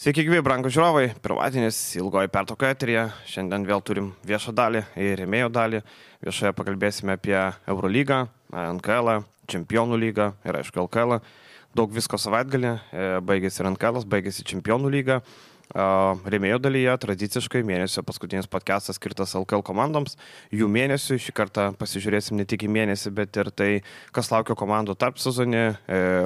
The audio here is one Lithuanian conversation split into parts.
Sveiki, gyvi, brangūs žiūrovai. Pirmadienis, ilgoji pertrauka eteryje. Šiandien vėl turim viešą dalį ir rėmėjų dalį. Viešoje pakalbėsime apie Eurolygą, NKL, Čempionų lygą ir aišku LKL. Daug visko savaitgalį. Baigėsi ir NKL, baigėsi Čempionų lyga. Rėmėjų dalyje tradiciškai mėnesio paskutinis podcastas skirtas LKL komandoms. Jų mėnesių šį kartą pasižiūrėsim ne tik į mėnesį, bet ir tai, kas laukia komandų tarp sezonį,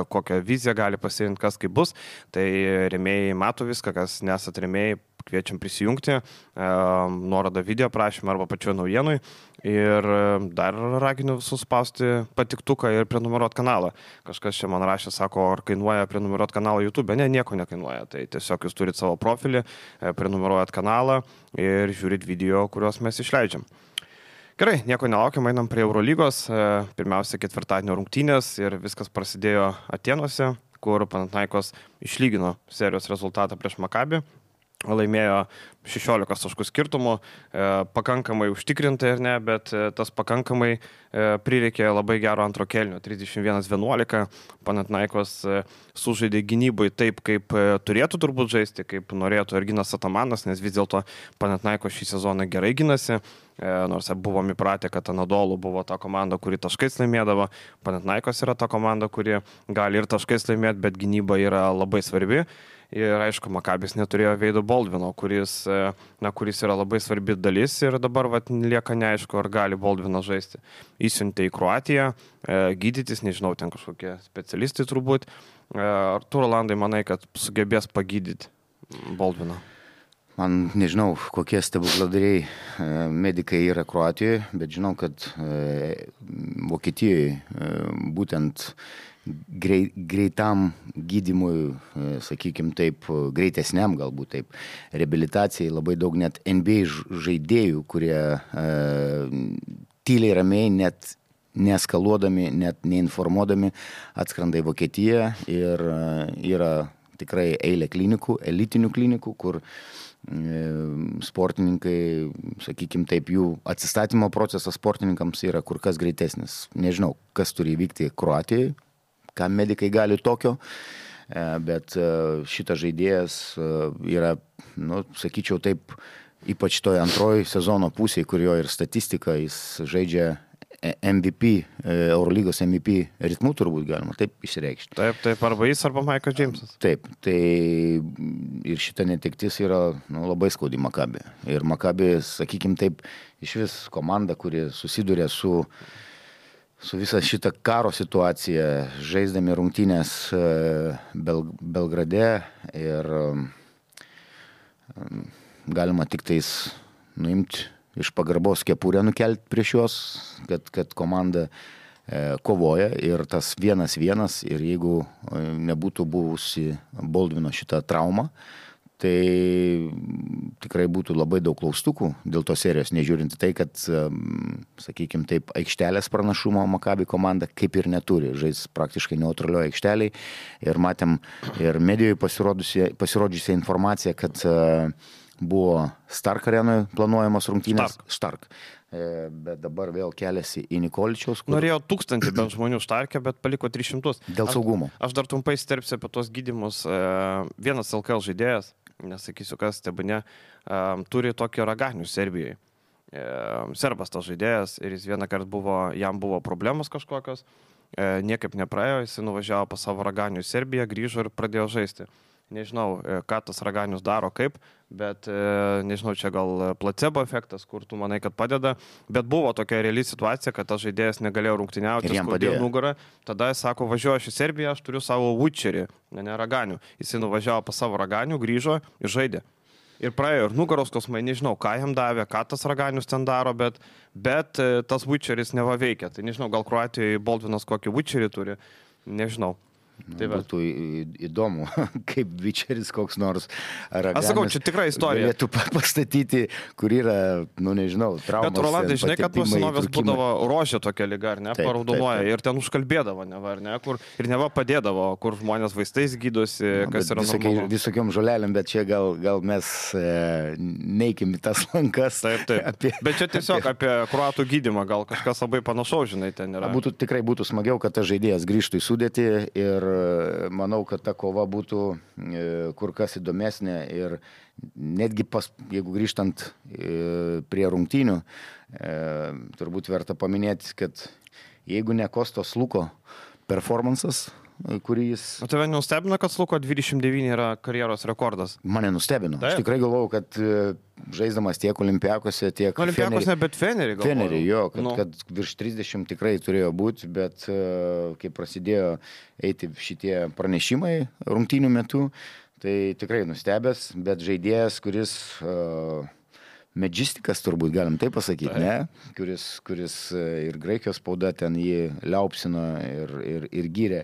kokią viziją gali pasirinkti, kas kaip bus. Tai rėmėjai mato viską, kas nesat rėmėjai, kviečiam prisijungti, nuorodą video prašymą arba pačioje naujienui. Ir dar raginu visus spausti patiktuką ir prenumeruoti kanalą. Kažkas čia man rašė, sako, ar kainuoja prenumeruoti kanalą YouTube. Ne, nieko nekainuoja. Tai tiesiog jūs turite savo profilį, prenumeruojat kanalą ir žiūrit video, kuriuos mes išleidžiam. Gerai, nieko nelaukiam, einam prie Eurolygos. Pirmiausia, ketvirtadienio rungtynės ir viskas prasidėjo Atėnuose, kur Panathinaikos išlygino serijos rezultatą prieš Makabį. Laimėjo 16 taškų skirtumų, pakankamai užtikrintai ir ne, bet tas pakankamai prireikė labai gero antro kėlinio, 31-11. Panathinaikos sužaidė gynybai taip, kaip turėtų turbūt žaisti, kaip norėtų ir Ginas Atamanas, nes vis dėlto Panathinaikos šį sezoną gerai ginasi, nors buvom įpratę, kad Anadolu buvo ta komanda, kuri taškais laimėdavo. Panathinaikos yra ta komanda, kuri gali ir taškais laimėti, bet gynyba yra labai svarbi. Ir aišku, Makabis neturėjo Veido Baldvino, kuris yra labai svarbi dalis ir dabar lieka neaišku, ar gali Baldviną žaisti. Įsiuntė į Kroatiją, gydytis, nežinau, ten kažkokie specialistai turbūt. Ar tu, Rolandai, manai, kad sugebės pagydyti Baldviną? Man nežinau, kokie stebukladariai medikai yra Kroatijoje, bet žinau, kad Vokietijoje būtent greitam gydymui, sakykime taip, greitesniam galbūt taip, reabilitacijai labai daug net NBA žaidėjų, kurie tyliai ramiai, net neeskaluodami, net neinformuodami atskrenda į Vokietiją ir yra tikrai eilė klinikų, elitinių klinikų, kur sportininkai, sakykime taip, jų atsistatymo procesas sportininkams yra kur kas greitesnis. Nežinau, kas turi įvykti Kroatijoje, ką medikai gali tokio, bet šitas žaidėjas yra, sakyčiau taip, ypač toje antroji sezono pusėje, kur jo ir statistika, jis žaidžia MVP, Eurolygos MVP ritmu turbūt galima taip išreikšti. Taip, arba jis, arba Michael Jamesas. Taip, tai ir šita netektis yra labai skaudi Makabį. Ir Makabį, sakykime taip, iš vis komanda, kuri susiduria su visą šitą karo situaciją, žaisdami rungtynės Belgrade ir galima tik tais nuimti iš pagarbos kepurę nukelti prieš juos, kad komanda kovoja ir tas 1-1 ir jeigu nebūtų buvusi Baldvino šitą traumą, tai tikrai būtų labai daug klaustukų dėl tos serijos, nežiūrint tai, kad, sakykime taip, aikštelės pranašumo Makabi komanda kaip ir neturi, žais praktiškai neutralioje aikšteliai ir matėm ir medijoje pasirodžiusią informaciją, kad buvo Stark arenoje planuojamos rungtynės. Stark. Bet dabar vėl keliasi į Nikoličiaus. Norėjo 1000 bent žmonių Starke, bet paliko 300. Dėl saugumo. Aš dar trumpai sterpsiu apie tos gydymus. Vienas LKL žaidėjas, nesakysiu kas, tebane, turi tokį raganių Serbijoje. Serbas tas žaidėjas ir jis vieną kartą jam buvo problemos kažkokios, niekaip nepraėjo, jis nuvažiavo pas savo raganių į Serbiją, grįžo ir pradėjo žaisti. Nežinau, ką tas raganius daro kaip, bet nežinau, čia gal placebo efektas, kur tu manai, kad padeda, bet buvo tokia reali situacija, kad tas žaidėjas negalėjo rungtyniauti, skaudėjo nugarą, tada jis sako, važiuoju aš į Serbiją, aš turiu savo Vučerį, ne raganių. Jis nuvažiavo pas savo raganių, grįžo ir žaidė. Ir praėjo ir nugaros skausmai, nežinau, ką jam davė, ką tas raganius ten daro, bet tas Vučeris neva veikia. Tai nežinau, gal Kroatijoje Baldvinas kokį Vučerį turi, nežinau. Tai būtų įdomu, kaip Vičeris koks nors raganas. Aš sakau, čia tikra istorija. Galėtų pastatyti, kur yra, nežinau, traumas. Bet Rolandai, žinai, kad po senovės būdavo rožė tokia liga, ar ne, paraudonuoja ir ten užkalbėdavo, neva, ar ne, kur ir neva padėdavo, kur žmonės vaistais gydosi, kas yra normalu. Visokiom žolelėm, bet čia gal mes neikim į tas lankas. Taip. Bet čia tiesiog apie kroatų gydymą, gal kažkas labai panašaus, žinai, ten yra. Tikrai būtų smagiau, kad tas žaidėjas grįžtų į sudėtį ir ir manau, kad ta kova būtų kur kas įdomesnė ir netgi jeigu grįžtant prie rungtynių, turbūt verta paminėti, kad jeigu ne Kostos Luko performances, kurį jis... O tave nustebino, kad Luko 29 yra karjeros rekordas? Mane nustebino. Taip. Aš tikrai galvojau, kad žaisdamas tiek Olimpiakose, tiek... Olimpiakose, bet Fenerį galvoju. Fenerį, jo, kad virš 30 tikrai turėjo būti, bet kai prasidėjo eiti šitie pranešimai rungtynių metu, tai tikrai nustebęs, bet žaidėjas, kuris... Medžistikas turbūt galim taip pasakyti, ne? Kuris ir Graikijos spauda ten jį liaupsino ir gyrė.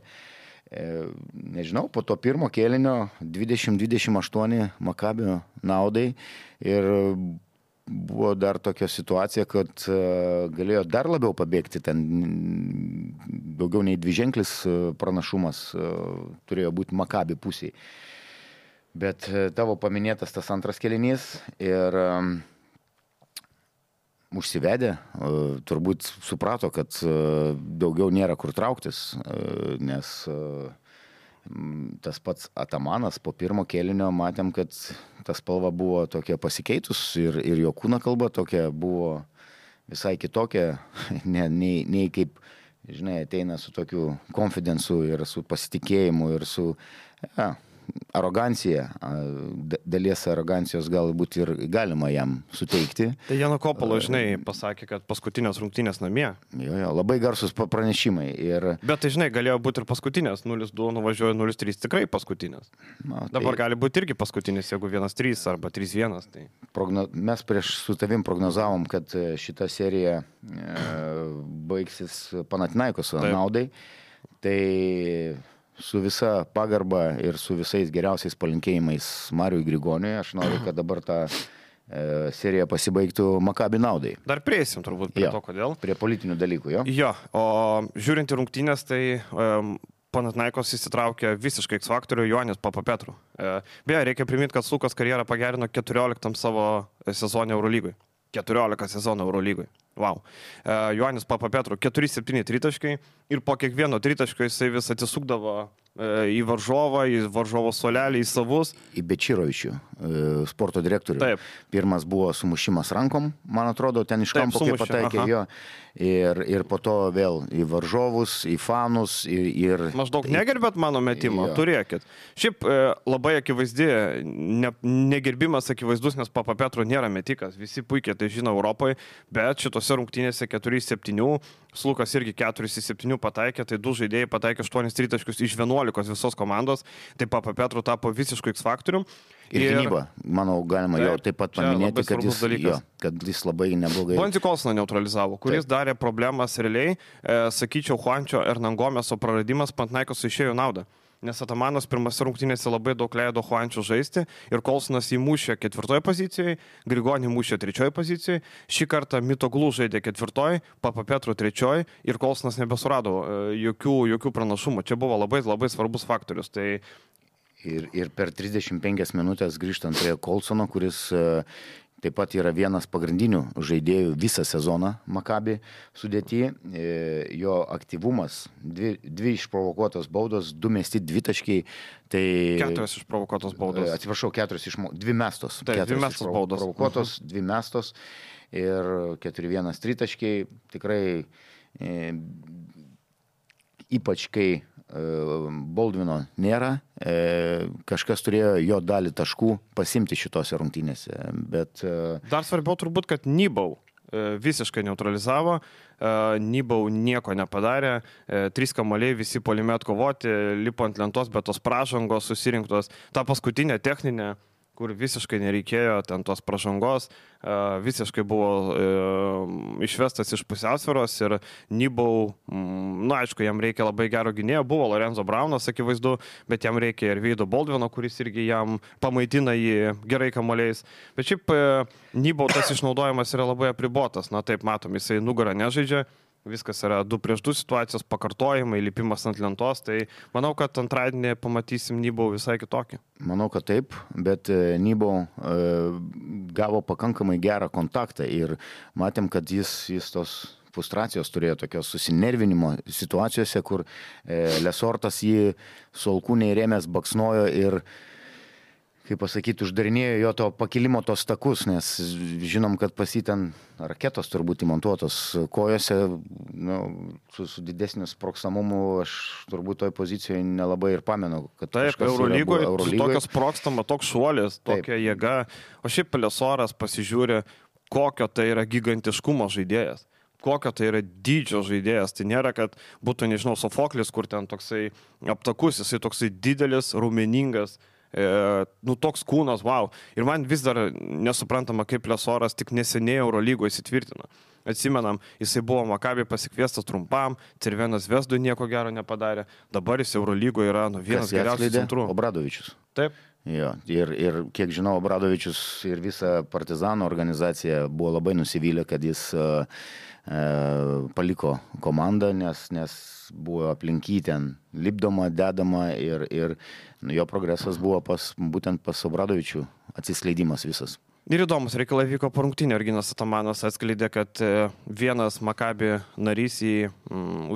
Nežinau, po to pirmo kėlinio 20-28 Makabio naudai ir buvo dar tokia situacija, kad galėjo dar labiau pabėgti, ten daugiau nei dviženklis pranašumas turėjo būti Makabi pusėje. Bet tavo paminėtas tas antras kėlinys ir užsivedė, turbūt suprato, kad daugiau nėra kur trauktis, nes tas pats Atamanas po pirmo kėlinio matėm, kad ta spalva buvo tokia pasikeitus ir jo kūno kalba tokia buvo visai kitokia, nei kaip, žinai, ateina su tokiu konfidensu ir su pasitikėjimu ir su... arogancija, dalies arogancijos galbūt ir galima jam suteikti. Tai Jano Kopalo, žinai, pasakė, kad paskutinės rungtynės namie. Jo, labai garsus pranešimai. Bet tai, žinai, galėjo būti ir paskutinės, 0-2 nuvažiuoja 0-3, tikrai paskutinės. Dabar gali būti irgi paskutinės, jeigu 1-3 arba 3-1. Tai... Mes prieš su tavim prognozavom, kad šita serija baigsis Panathinaikos naudai. Tai... su visa pagarba ir su visais geriausiais palinkėjimais Mariui Grigoniui, aš noriu, kad dabar ta serija pasibaigtų Makabi naudai. Dar prieisim turbūt prie to, kodėl. Prie politinių dalykų, jo? Jo, o žiūrint į rungtynės, tai Panathinaikos įsitraukė visiškai X-faktorių Joannis Papapetru. Beje, reikia priminti, kad Lukas karjerą pagerino 14 savo sezonę Eurolygoj. 14 sezonų Eurolygoj. Wow. Joannis Papapetru 4-7 tritaškai ir po kiekvieno tritaško jisai vis atsisukdavo į varžovą, į varžovo suolelį, į savus. Į Bečirovičių, sporto direktorių. Taip. Pirmas buvo sumušimas rankom, man atrodo, ten iš kampo kaip pataikė jo. Ir po to vėl į varžovus, į fanus. Maždaug negerbėt mano metimo, turėkit. Šiaip labai akivaizdi, negerbimas akivaizdus, nes Papapetru nėra metikas. Visi puikiai tai žino Europoje, bet šitose rungtynėse 4-7, Lukas irgi 4-7 pataikė, tai 2 žaidėjai pataikė 8 tritaškius iš 11 visos komandos, tai Papapetru tapo visiškai X-faktorium. Ir gynyba, manau, galima jau taip pat paminėti, kad jis labai neblogai... Bonzi Kolsoną neutralizavo, kuris darė problemas realiai, sakyčiau, Juančio Hernangomeso praradimas Panathinaikos išėjo naudą. Nes Atamanas pirmose rungtynėse labai daug leido Juančių žaisti ir Kolsonas įmušė 4 pozicijoje, Grigonį įmušė 3 pozicijoje, šį kartą Mitoglų žaidė 4, Papapetru 3 ir Kolsonas nebesurado jokių pranašumų. Čia buvo labai svarbus faktorius. Tai... Ir per 35 minutės grįžtant prie Kolsono, kuris taip pat yra vienas pagrindinių žaidėjų visą sezoną Makabi sudėty. Jo aktyvumas, 2 išprovokuotos baudos, 2 mesti dvitaškiai. Tai... 4 išprovokuotos baudos. Atsiprašau, 2 mestos. Taip, 2 mestos baudos. Provokuotos, 2 mestos ir 4-1 tritaškiai. Tikrai ypač kai Baldvino nėra, kažkas turėjo jo dalį taškų pasimti šitose rungtynėse, bet... Dar svarbiau turbūt, kad Nybau visiškai neutralizavo, Nybau nieko nepadarė, 3 kamuoliai visi puolime atkovoti, lipo ant lentos, bet tos pražangos susirinktos, ta paskutinė techninė, kur visiškai nereikėjo ten tos pražangos, visiškai buvo išvestas iš pusiausvyros ir Nybau, aišku, jam reikia labai gero gynėjo, buvo Lorenzo Braunas, akivaizdu, bet jam reikia ir Veido Baldvino, kuris irgi jam pamaitina jį gerai kamuoliais. Bet šiaip Nybau tas išnaudojimas yra labai apribotas, taip matom, jisai nugarą nežaidžia. Viskas yra 2-2 situacijos, pakartojimai, lipimas ant lentos, tai manau, kad antradienį pamatysim Nybau visai kitokį. Manau, kad taip, bet Nybau gavo pakankamai gerą kontaktą ir matėm, kad jis tos frustracijos turėjo, tokios susinervinimo situacijose, kur Lesortas jį su alkūniai rėmės baksnojo ir, kaip pasakyti, uždarinėjo jo to pakilimo tos takus, nes žinom, kad pas jį ten raketos turbūt įmontuotos kojose, nu, su didesniu sprogstamumu aš turbūt toj pozicijoje nelabai ir pamenu, kad taip, Eurolygoje tokios sprogstama, toks šuolis, tokia jėga, o šiaip Lesoras pasižiūri, kokio tai yra gigantiškumo žaidėjas. Kokio tai yra dydžio žaidėjas. Tai nėra, kad būtų, nežinau, Sofoklis, kur ten toksai aptakus, jisai toksai didelis, raumeningas, nu toks kūnas, wow. Ir man vis dar nesuprantama, kaip Lesoras tik neseniai Eurolygoje įsitvirtino. Atsimenam, jisai buvo Maccabi pasikviestas trumpam, Cervenas Zvezdui nieko gero nepadarė, dabar jis Eurolygoje yra vienas geriausių centrų. Obradovičius. Taip. Jo, ir kiek žinau, Obradovičius ir visa Partizano organizacija buvo labai nusivylę, kad jis paliko komandą, nes buvo aplinky ten lipdoma, dedama ir jo progresas buvo būtent pas Obradovičių atsiskleidimas visas. Ir įdomus reikalai vyko po rungtynių. Erginas Atamanas atskleidė, kad vienas Maccabi narys jį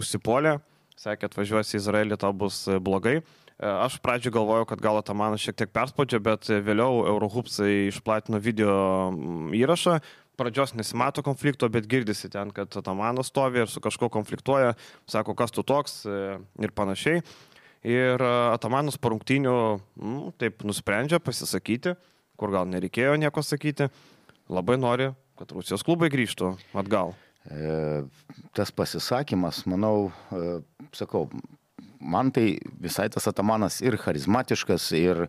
užsipolė, sakė, atvažiuosi į Izraelį, tau bus blogai. Aš pradžioj galvojau, kad gal Atamanas šiek tiek perspaudžia, bet vėliau Eurohupsai išplatino video įrašą. Pradžios nesimato konflikto, bet girdisi ten, kad Atamanas stovi ir su kažko konfliktuoja, sako, kas tu toks ir panašiai. Ir Atamanas po rungtynių taip nusprendžia pasisakyti, kur gal nereikėjo nieko sakyti, labai nori, kad Rusijos klubai grįžtų atgal. Tas pasisakymas, manau, sakau, man tai visai tas Atamanas ir charizmatiškas, ir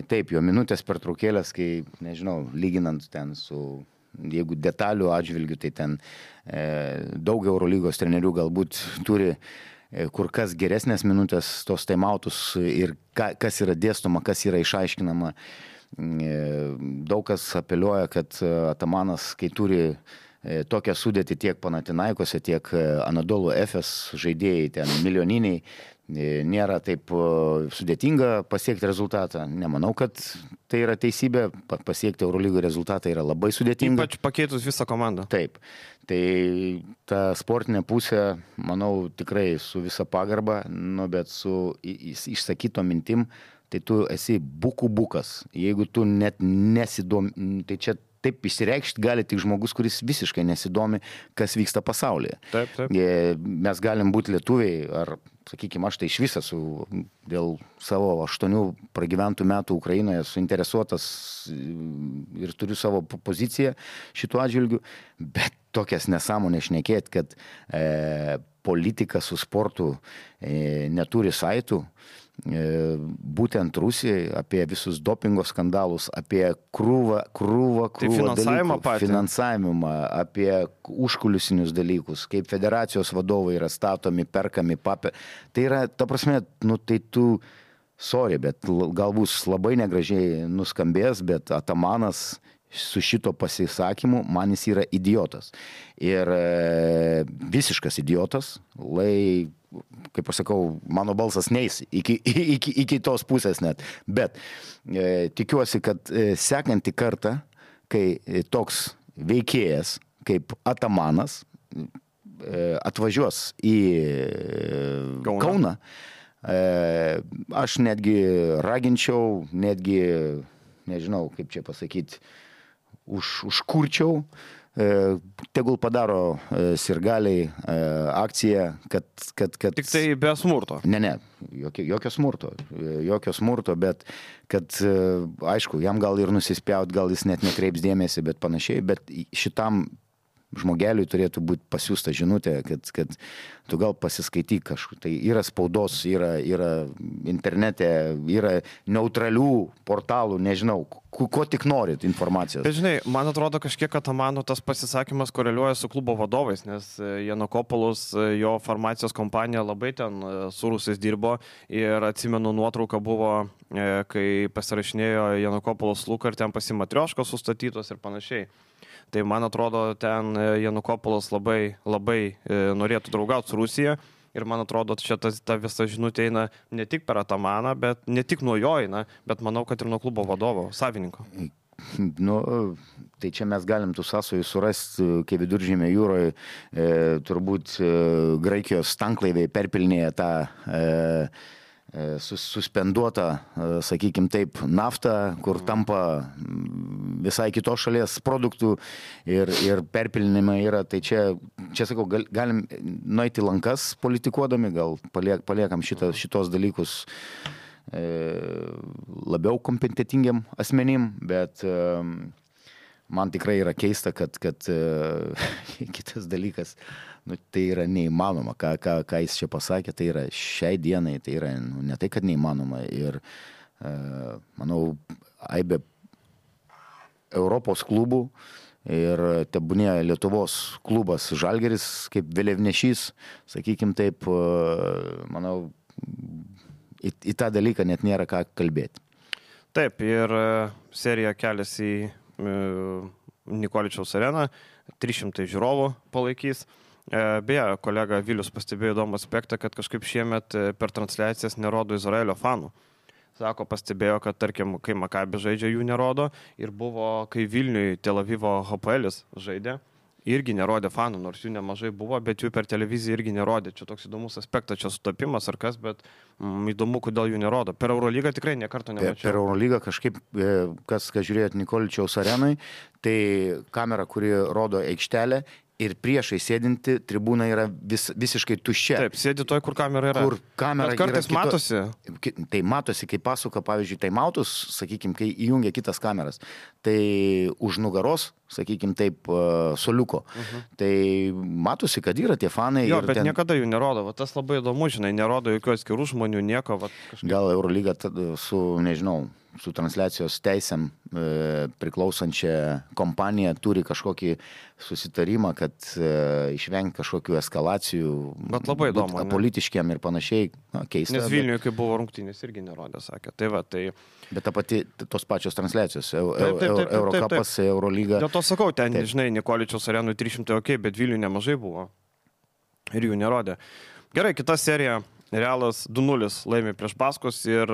taip, jo minutės pertraukėlės, kai, nežinau, lyginant ten su, jeigu detalių atžvilgių, tai ten daug Eurolygos trenerių galbūt turi kur kas geresnės minutės, tos taimautus ir kas yra dėstoma, kas yra išaiškinama. Daug kas apeliuoja, kad Atamanas, kai turi tokią sudėtį tiek Panathinaikose, tiek Anadolu Efes žaidėjai, ten milijoniniai, nėra taip sudėtinga pasiekti rezultatą. Nemanau, kad tai yra teisybė, pasiekti Eurolygos rezultatą yra labai sudėtinga. Ypač pakeitus visą komandą. Taip, tai ta sportinė pusė, manau, tikrai su visa pagarba, bet su išsakyto mintim, tai tu esi bukas. Jeigu tu net nesidomi, tai čia taip išsireikšti gali tik žmogus, kuris visiškai nesidomi, kas vyksta pasaulyje. Taip, taip. Mes galim būti lietuviai, ar, sakykime, aš tai iš viso dėl savo 8 pragyventų metų Ukrainoje suinteresuotas ir turiu savo poziciją šituo atžvilgiu, bet tokias nesąmonės šnekėti, kad politika su sportu neturi saitų. Būtent Rusijai, apie visus dopingo skandalus, apie krūvą tai finansavimą, apie užkulisinius dalykus, kaip federacijos vadovai yra statomi, perkami, tai yra, ta prasme, nu tai tu, sorry, bet galbūt labai negražiai nuskambės, bet Atamanas su šito pasisakymu man jis yra idiotas. Ir visiškas idiotas, kaip aš sakau, mano balsas neis iki tos pusės net. Bet tikiuosi, kad sekantį kartą, kai toks veikėjas kaip Atamanas atvažiuos į Kauną, aš netgi raginčiau, netgi, nežinau, kaip čia pasakyti, užkurčiau, tegul padaro sirgaliai akciją, kad... Tik tai be smurto. Ne, jokio smurto, bet kad, aišku, jam gal ir nusispjaut, gal jis net nekreips dėmesį, bet panašiai, bet šitam žmogeliui turėtų būti pasiūsta žinutė, kad tu gal pasiskaityk kažkur. Tai yra spaudos, yra internete, yra neutralių portalų, nežinau, ko tik norit informacijos. Bet žinai, man atrodo kažkiek Atamano tas pasisakymas koreliuoja su klubo vadovais, nes Janokopoulos, jo farmacijos kompanija labai ten su rusais dirbo ir atsimenu nuotrauką buvo, kai pasirašinėjo Janokopoulos Luka ir ten pasimatrioškos sustatytos ir panašiai. Tai man atrodo, ten Janukopoulos labai norėtų draugauti su Rusija ir man atrodo, čia ta visa žinutė eina ne tik per Atamaną, bet ne tik nuo jo eina, bet manau, kad ir nuo klubo vadovo, savininko. Nu, tai čia mes galim tų sąsojų surasti, kai Viduržemio jūroje turbūt Graikijos tanklaiviai perpilnėja tą suspenduotą, sakykime taip, naftą, kur tampa visai kitos šalies produktų ir perpilinimai yra. Tai čia sakau, galim nueiti lankas politikuodami, gal paliekam šitos dalykus labiau kompetentingiam asmenim, bet man tikrai yra keista, kad kitas dalykas, tai yra neįmanoma, ką jis čia pasakė, tai yra šiai dienai, tai yra ne tai, kad neįmanoma. Ir manau, aibė Europos klubų ir tebūnė Lietuvos klubas Žalgiris kaip vėliavnešys, sakykim taip, manau, į tą dalyką net nėra ką kalbėti. Taip, ir serija keliasi į Nikoličiaus areną, 300 žiūrovų palaikys. Beje, kolega Vilius pastebėjo įdomų aspektą, kad kažkaip šiemet per transliacijas nerodo Izraelio fanų. Sako, pastebėjo, kad tarkim, kai Makabi žaidžia, jų nerodo, ir buvo, kai Vilniui Tel Avivo Hapoelis žaidė, irgi nerodė fanų, nors jų nemažai buvo, bet jų per televiziją irgi nerodė. Čia toks įdomus aspektas, čia sutapimas ar kas, bet įdomu, kodėl jų nerodo. Per Eurolygą tikrai nekarto nemačiau. Per Eurolygą kažkaip, kas žiūrėjot Nikoličiaus arenai, tai kamera, kuri rodo aikštelę, ir priešai sėdinti tribūna yra visiškai tuščia. Taip, sėdi toj, kur kamera yra. Kur kamera bet kartais yra matosi. Tai matosi, kai pasuka, pavyzdžiui, taimautus, sakykime, kai įjungia kitas kameras, tai už nugaros, sakykime taip, soliuko. Tai matosi, kad yra tie fanai. Jo, bet niekada jų nerodo. Va, tas labai įdomu, žinai, nerodo jokių atskirų žmonių, nieko. Va, kažkaip... Gal Eurolyga su, nežinau, su transliacijos teisėm priklausančia kompanija turi kažkokį susitarimą, kad išvengti kažkokių eskalacijų. Bet labai įdomu. Politiškiam ir panašiai. Keista. Nes Vilniuje, kai buvo rungtynės, irgi nerodė, sakė. Tai va, tai... Bet ta pati, tos pačios transliacijos, Eurokapas, Eurolyga. Dėl to sakau, ten, žinai, Nikoličiaus arenui 300 ok, bet Vilniuje nemažai buvo. Ir jų nerodė. Gerai, kita serija. Realas 2-0 laimė prieš Baskus ir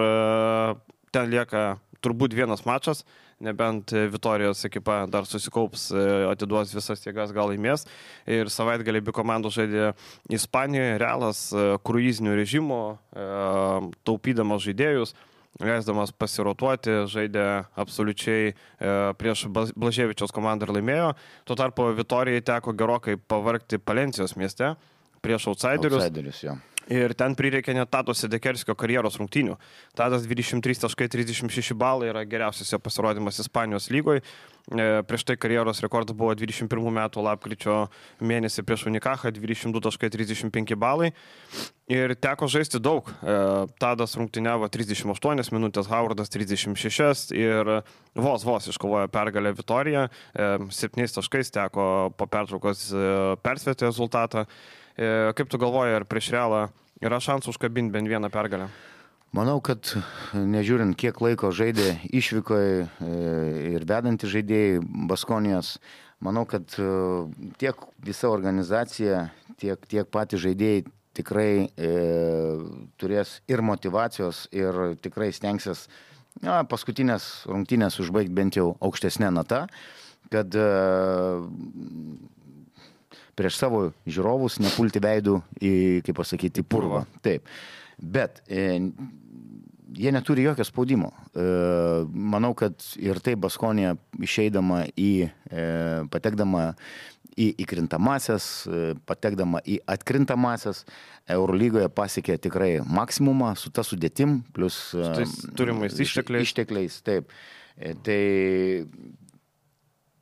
ten lieka turbūt vienas mačas, nebent Vitorijos ekipa dar susikaups, atiduos visas jėgas, gal laimės. Ir savaitgalį abi komandos žaidė Ispanijoje, Realas kruizinių režimų, taupydamas žaidėjus, leisdamas pasirotuoti, žaidė absoliučiai prieš Blaževičiaus komandą ir laimėjo. Tuo tarpu Vitorijai teko gerokai pavargti Palencijos mieste prieš outsiderius. Jo. Ir ten prireikė net Tado Sedekerskio karjeros rungtynių. Tadas 23.36 balai yra geriausias jo pasirodymas Ispanijos lygoje. Prieš tai karjeros rekordas buvo 21 metų lapkričio mėnesį prieš Unikacha, 22.35 balai. Ir teko žaisti daug. Tadas rungtyniavo 38 minutės, Howardas 36 ir vos iškovojo pergalę Vitoriją. 7 taškais teko po pertraukos persverti rezultatą. Kaip tu galvoji, ar prieš Realą yra šansų užkabinti bent vieną pergalę? Manau, kad nežiūrint, kiek laiko žaidė išvykoje ir vedantys žaidėjai Baskonijos, manau, kad tiek visa organizacija, tiek patys žaidėjai tikrai turės ir motivacijos, ir tikrai stengsis paskutinės rungtynės užbaigti bent jau aukštesnę natą, kad prieš savo žiūrovus nepulti veidų į, kaip pasakyti, purvą. Taip. Bet jie neturi jokio spaudimo. Manau, kad ir tai Baskonija išeidama patekdama į įkrintamasias, patekdama į atkrintamasias, Eurolygoje pasiekė tikrai maksimumą su ta sudėtim, plus turimais ištekliais. Taip. Tai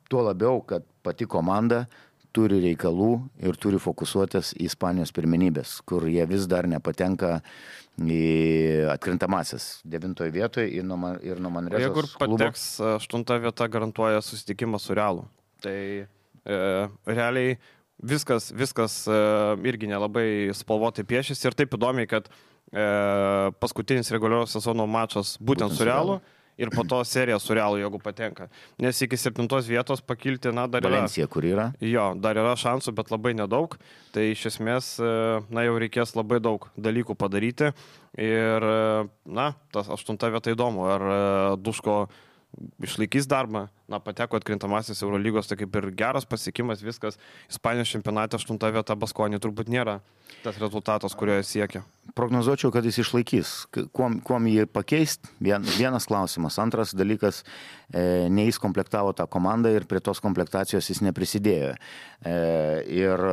tuo labiau, kad pati komanda turi reikalų ir turi fokusuotis į Ispanijos pirmenybės, kur jie vis dar nepatenka į atkrintamasis 9 vietoje ir nuo Manresos klubo. Jeigu pateks 8 vieta, garantuoja susitikimą su Realu. Tai realiai viskas irgi nelabai spalvotai piešėsi ir taip įdomiai, kad paskutinis reguliarios sezono mačas būtent su Realu. Ir po to serija su Realu, jeigu patenka. Nes iki 7 vietos pakilti, dar yra. Valencija, kur yra? Jo, dar yra šansų, bet labai nedaug. Tai iš esmės, jau reikės labai daug dalykų padaryti. Ir, tas 8 vieta įdomu. Ar Duško išlaikys darbą, pateko atkrintamasis Eurolygos, tai kaip ir geras pasiekimas, viskas. Ispanijos čempionate 8 vieta Baskonį turbūt nėra tas rezultatas, kurio jis siekia. Prognozuočiau, kad jis išlaikys. Kuom jį pakeist? Vienas klausimas. Antras dalykas, ne jis komplektavo tą komandą ir prie tos komplektacijos jis neprisidėjo. Ir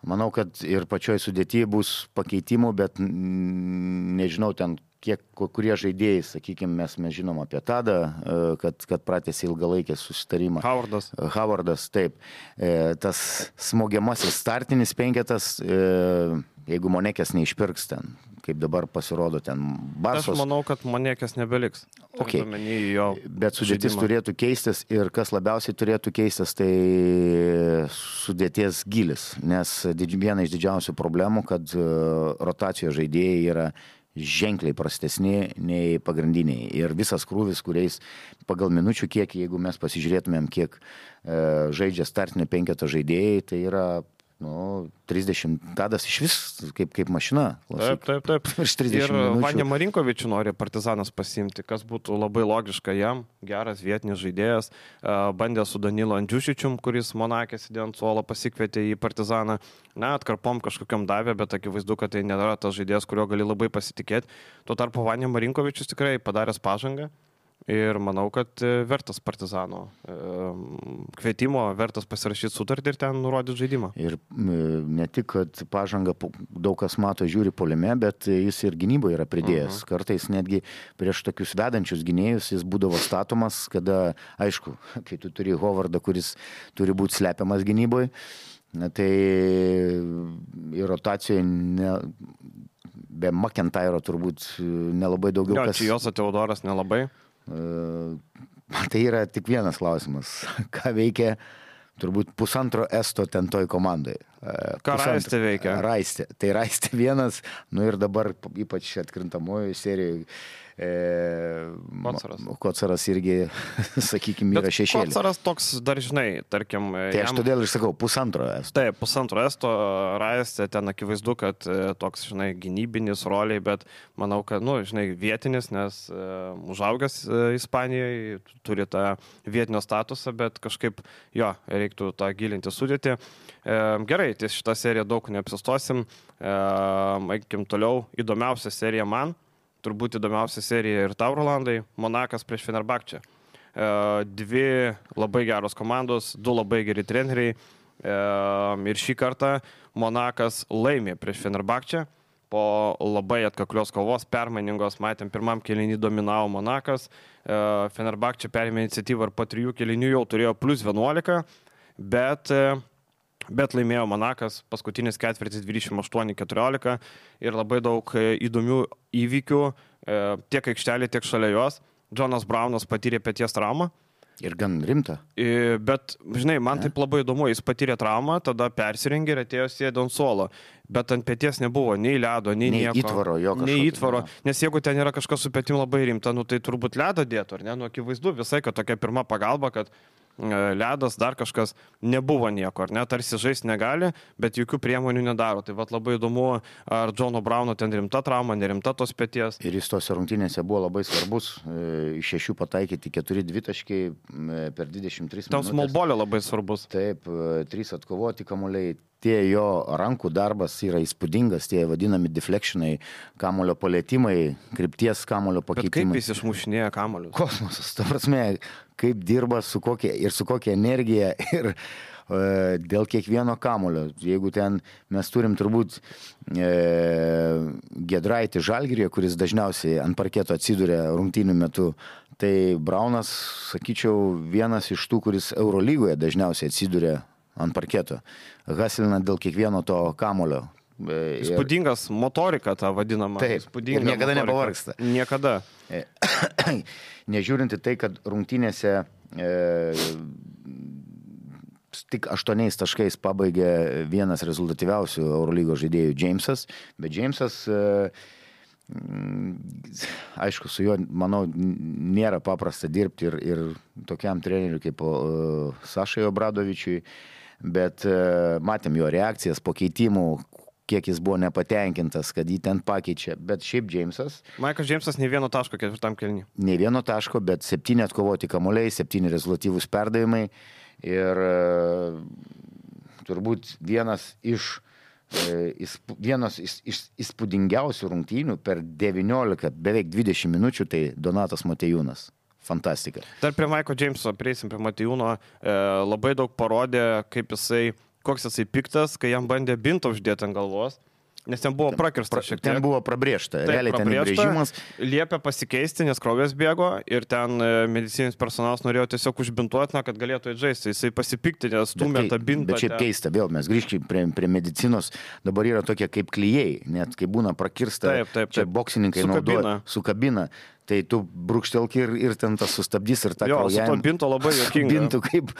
manau, kad ir pačioj sudėtyje bus pakeitimų, bet nežinau ten, kurie žaidėjai, sakykime, mes žinom apie Tadą, kad pratęsė ilgalaikį susitarimą. Howardas, taip. Tas smogiamasis startinis penketas, jeigu Monekės neišpirks ten, kaip dabar pasirodo ten Barsos. Aš manau, kad Monekės nebeliks. Okay. Bet sudėtis turėtų keistis ir kas labiausiai turėtų keistis, tai sudėties gilis, nes viena iš didžiausių problemų, kad rotacijos žaidėjai yra ženkliai prastesni nei pagrindiniai. Ir visas krūvis, kuriais pagal minučių kiekį, jeigu mes pasižiūrėtumėm, kiek žaidžia startinio penketo žaidėjai, tai yra 30. Tadas iš vis kaip mašina. Taip. Ir Vanja Marinkovičių nori Partizanas pasiimti, kas būtų labai logiška jam. Geras vietinis žaidėjas. Bandė su Danilo Andžiušičium, kuris Monake sėdėjo ant suolo, pasikvietė į Partizaną. Atkarpom kažkokiam davė, bet akivaizdu, kad tai nėra tas žaidėjas, kurio gali labai pasitikėti. Tuo tarpu Vanja Marinkovičius tikrai padaręs pažangą. Ir manau, kad vertas Partizano kvietimo, vertas pasirašyti sutartį ir ten nurodyti žaidimą. Ir ne tik, kad pažanga daug kas mato, žiūri puolime, bet jis ir gynyboje yra pridėjęs. Kartais netgi prieš tokius vedančius gynėjus jis būdavo statomas, kada, aišku, kai tu turi Howardą, kuris turi būti slepiamas gynyboje, tai ir rotacijoje be McIntyro turbūt nelabai daugiau kas. Čia Joso Teodoras nelabai. Tai yra tik vienas klausimas. Ką veikia turbūt pusantro esto ten toj komandai? Ką Raistė veikia? Raistė. Tai Raistė vienas, ir dabar ypač atkrintamojo serijoje Kocaras irgi, sakykime, yra šešėlį. Kocaras toks dar, žinai, tarkim... Tai aš todėl ir sakau, pusantro esto. Taip, pusantro esto, Raistė ten akivaizdu, kad toks, žinai, gynybinis roliai, bet manau, kad, žinai, vietinis, nes užaugęs Ispanijoje, turi tą vietinio statusą, bet kažkaip, reiktų tą gilinti sudėti. Gerai, tai šitą seriją daug neapsistosim. Eikim toliau, įdomiausia serija man. Turbūt įdomiausia serija ir tau, Rolandai, Monakas prieš Fenerbahčę. Dvi labai geros komandos, du labai geri treneriai. Ir šį kartą Monakas laimė prieš Fenerbahčę. Po labai atkaklios kovos, permainingos, matėm, pirmam kėlinį dominavo Monakas. Fenerbahčė perėmė iniciatyvą ir po 3 kėlinių jau turėjo plus 11, bet laimėjo Monakas, paskutinis ketvirtis 28-14 ir labai daug įdomių įvykių tiek aikštelė, tiek šalia jos. Jonas Brownas patyrė peties traumą. Ir gan rimta. Bet, žinai, man taip labai įdomu, jis patyrė traumą, tada persirengė ir atėjo sėdė ant suolo. Bet ant peties nebuvo nei ledo, nei nieko. Įtvaro, nei įtvaro. Nes jeigu ten yra kažkas su petim labai rimta, tai turbūt ledą dėtų, ar ne? Akivaizdu visai, kad tokia pirma pagalba, kad ledas, dar kažkas, nebuvo nieko, ar ne, tarsi žaisti negali, bet jokių priemonių nedaro. Tai vat labai įdomu, ar Jono Brauno ten rimta trauma, nerimta tos peties. Ir jis tose rungtynėse buvo labai svarbus, iš 6 pataikyti 4 dvitaškiai per 23 minutės. Ten smallbolio labai svarbus. Taip, 3 atkovoti kamuoliai. Tie jo rankų darbas yra įspūdingas, tie vadinami deflectionai, kamulio palėtimai, krypties kamulio pakeitimai. Bet kaip jis išmušinėja kamuolius? Kosmosas, ta prasme, kaip dirba su kokia energija ir dėl kiekvieno kamulio. Jeigu ten mes turim turbūt Giedraitį Žalgirį, kuris dažniausiai ant parketo atsiduria rungtynių metu, tai Braunas, sakyčiau, vienas iš tų, kuris Eurolygoje dažniausiai atsiduria ant parketo. Hasilina dėl kiekvieno to kamulio. Įspūdingas motorika, ta vadinama. Taip, ir niekada nepavargsta. Niekada. Nežiūrinti tai, kad rungtynėse tik 8 taškais pabaigė vienas rezultatyviausių Eurolygos žaidėjų Jamesas, bet Jamesas, aišku, su juo, manau, nėra paprasta dirbti ir tokiam treneriui kaip Sašai Obradovičiui, bet matėm jo reakcijas po keitimų, kiek jis buvo nepatenkintas, kad jį ten pakeičia. Bet šiaip Džeimsas. Michael Džeimsas nei vieno taško ketvirtam kėliny. Nei vieno taško, bet 7 atkovoti kamuoliai, 7 rezultatyvūs perdavimai. Ir turbūt vienas iš įspūdingiausių rungtynių per 19, beveik 20 minučių, tai Donatas Motiejūnas. Fantastika. Dar prie Michael Džeimso, prieisim prie Motiejūno, labai daug parodė, koks jisai piktas, kai jam bandė bintą uždėti ant galvos. Nes ten buvo prakirsta šiek tiek. Ten buvo prabrėžta. Realiai ten įbrėžimas. Liepė pasikeisti, nes kraujas bėgo ir ten medicininis personalas norėjo tiesiog užbintuoti, kad galėtų įžaisti. Jisai pasipiktinė, stumė tą bintą. Bet šiaip keista, vėl mes grįžkime prie medicinos. Dabar yra tokie kaip klijai, net kai būna prakirsta, čia boksininkai naudoja su kabina. Tai tu brūkštelk ir ten tas sustabdys ir tą kraujavimą. Jo, su to binto labai juokinga. Bintų kaip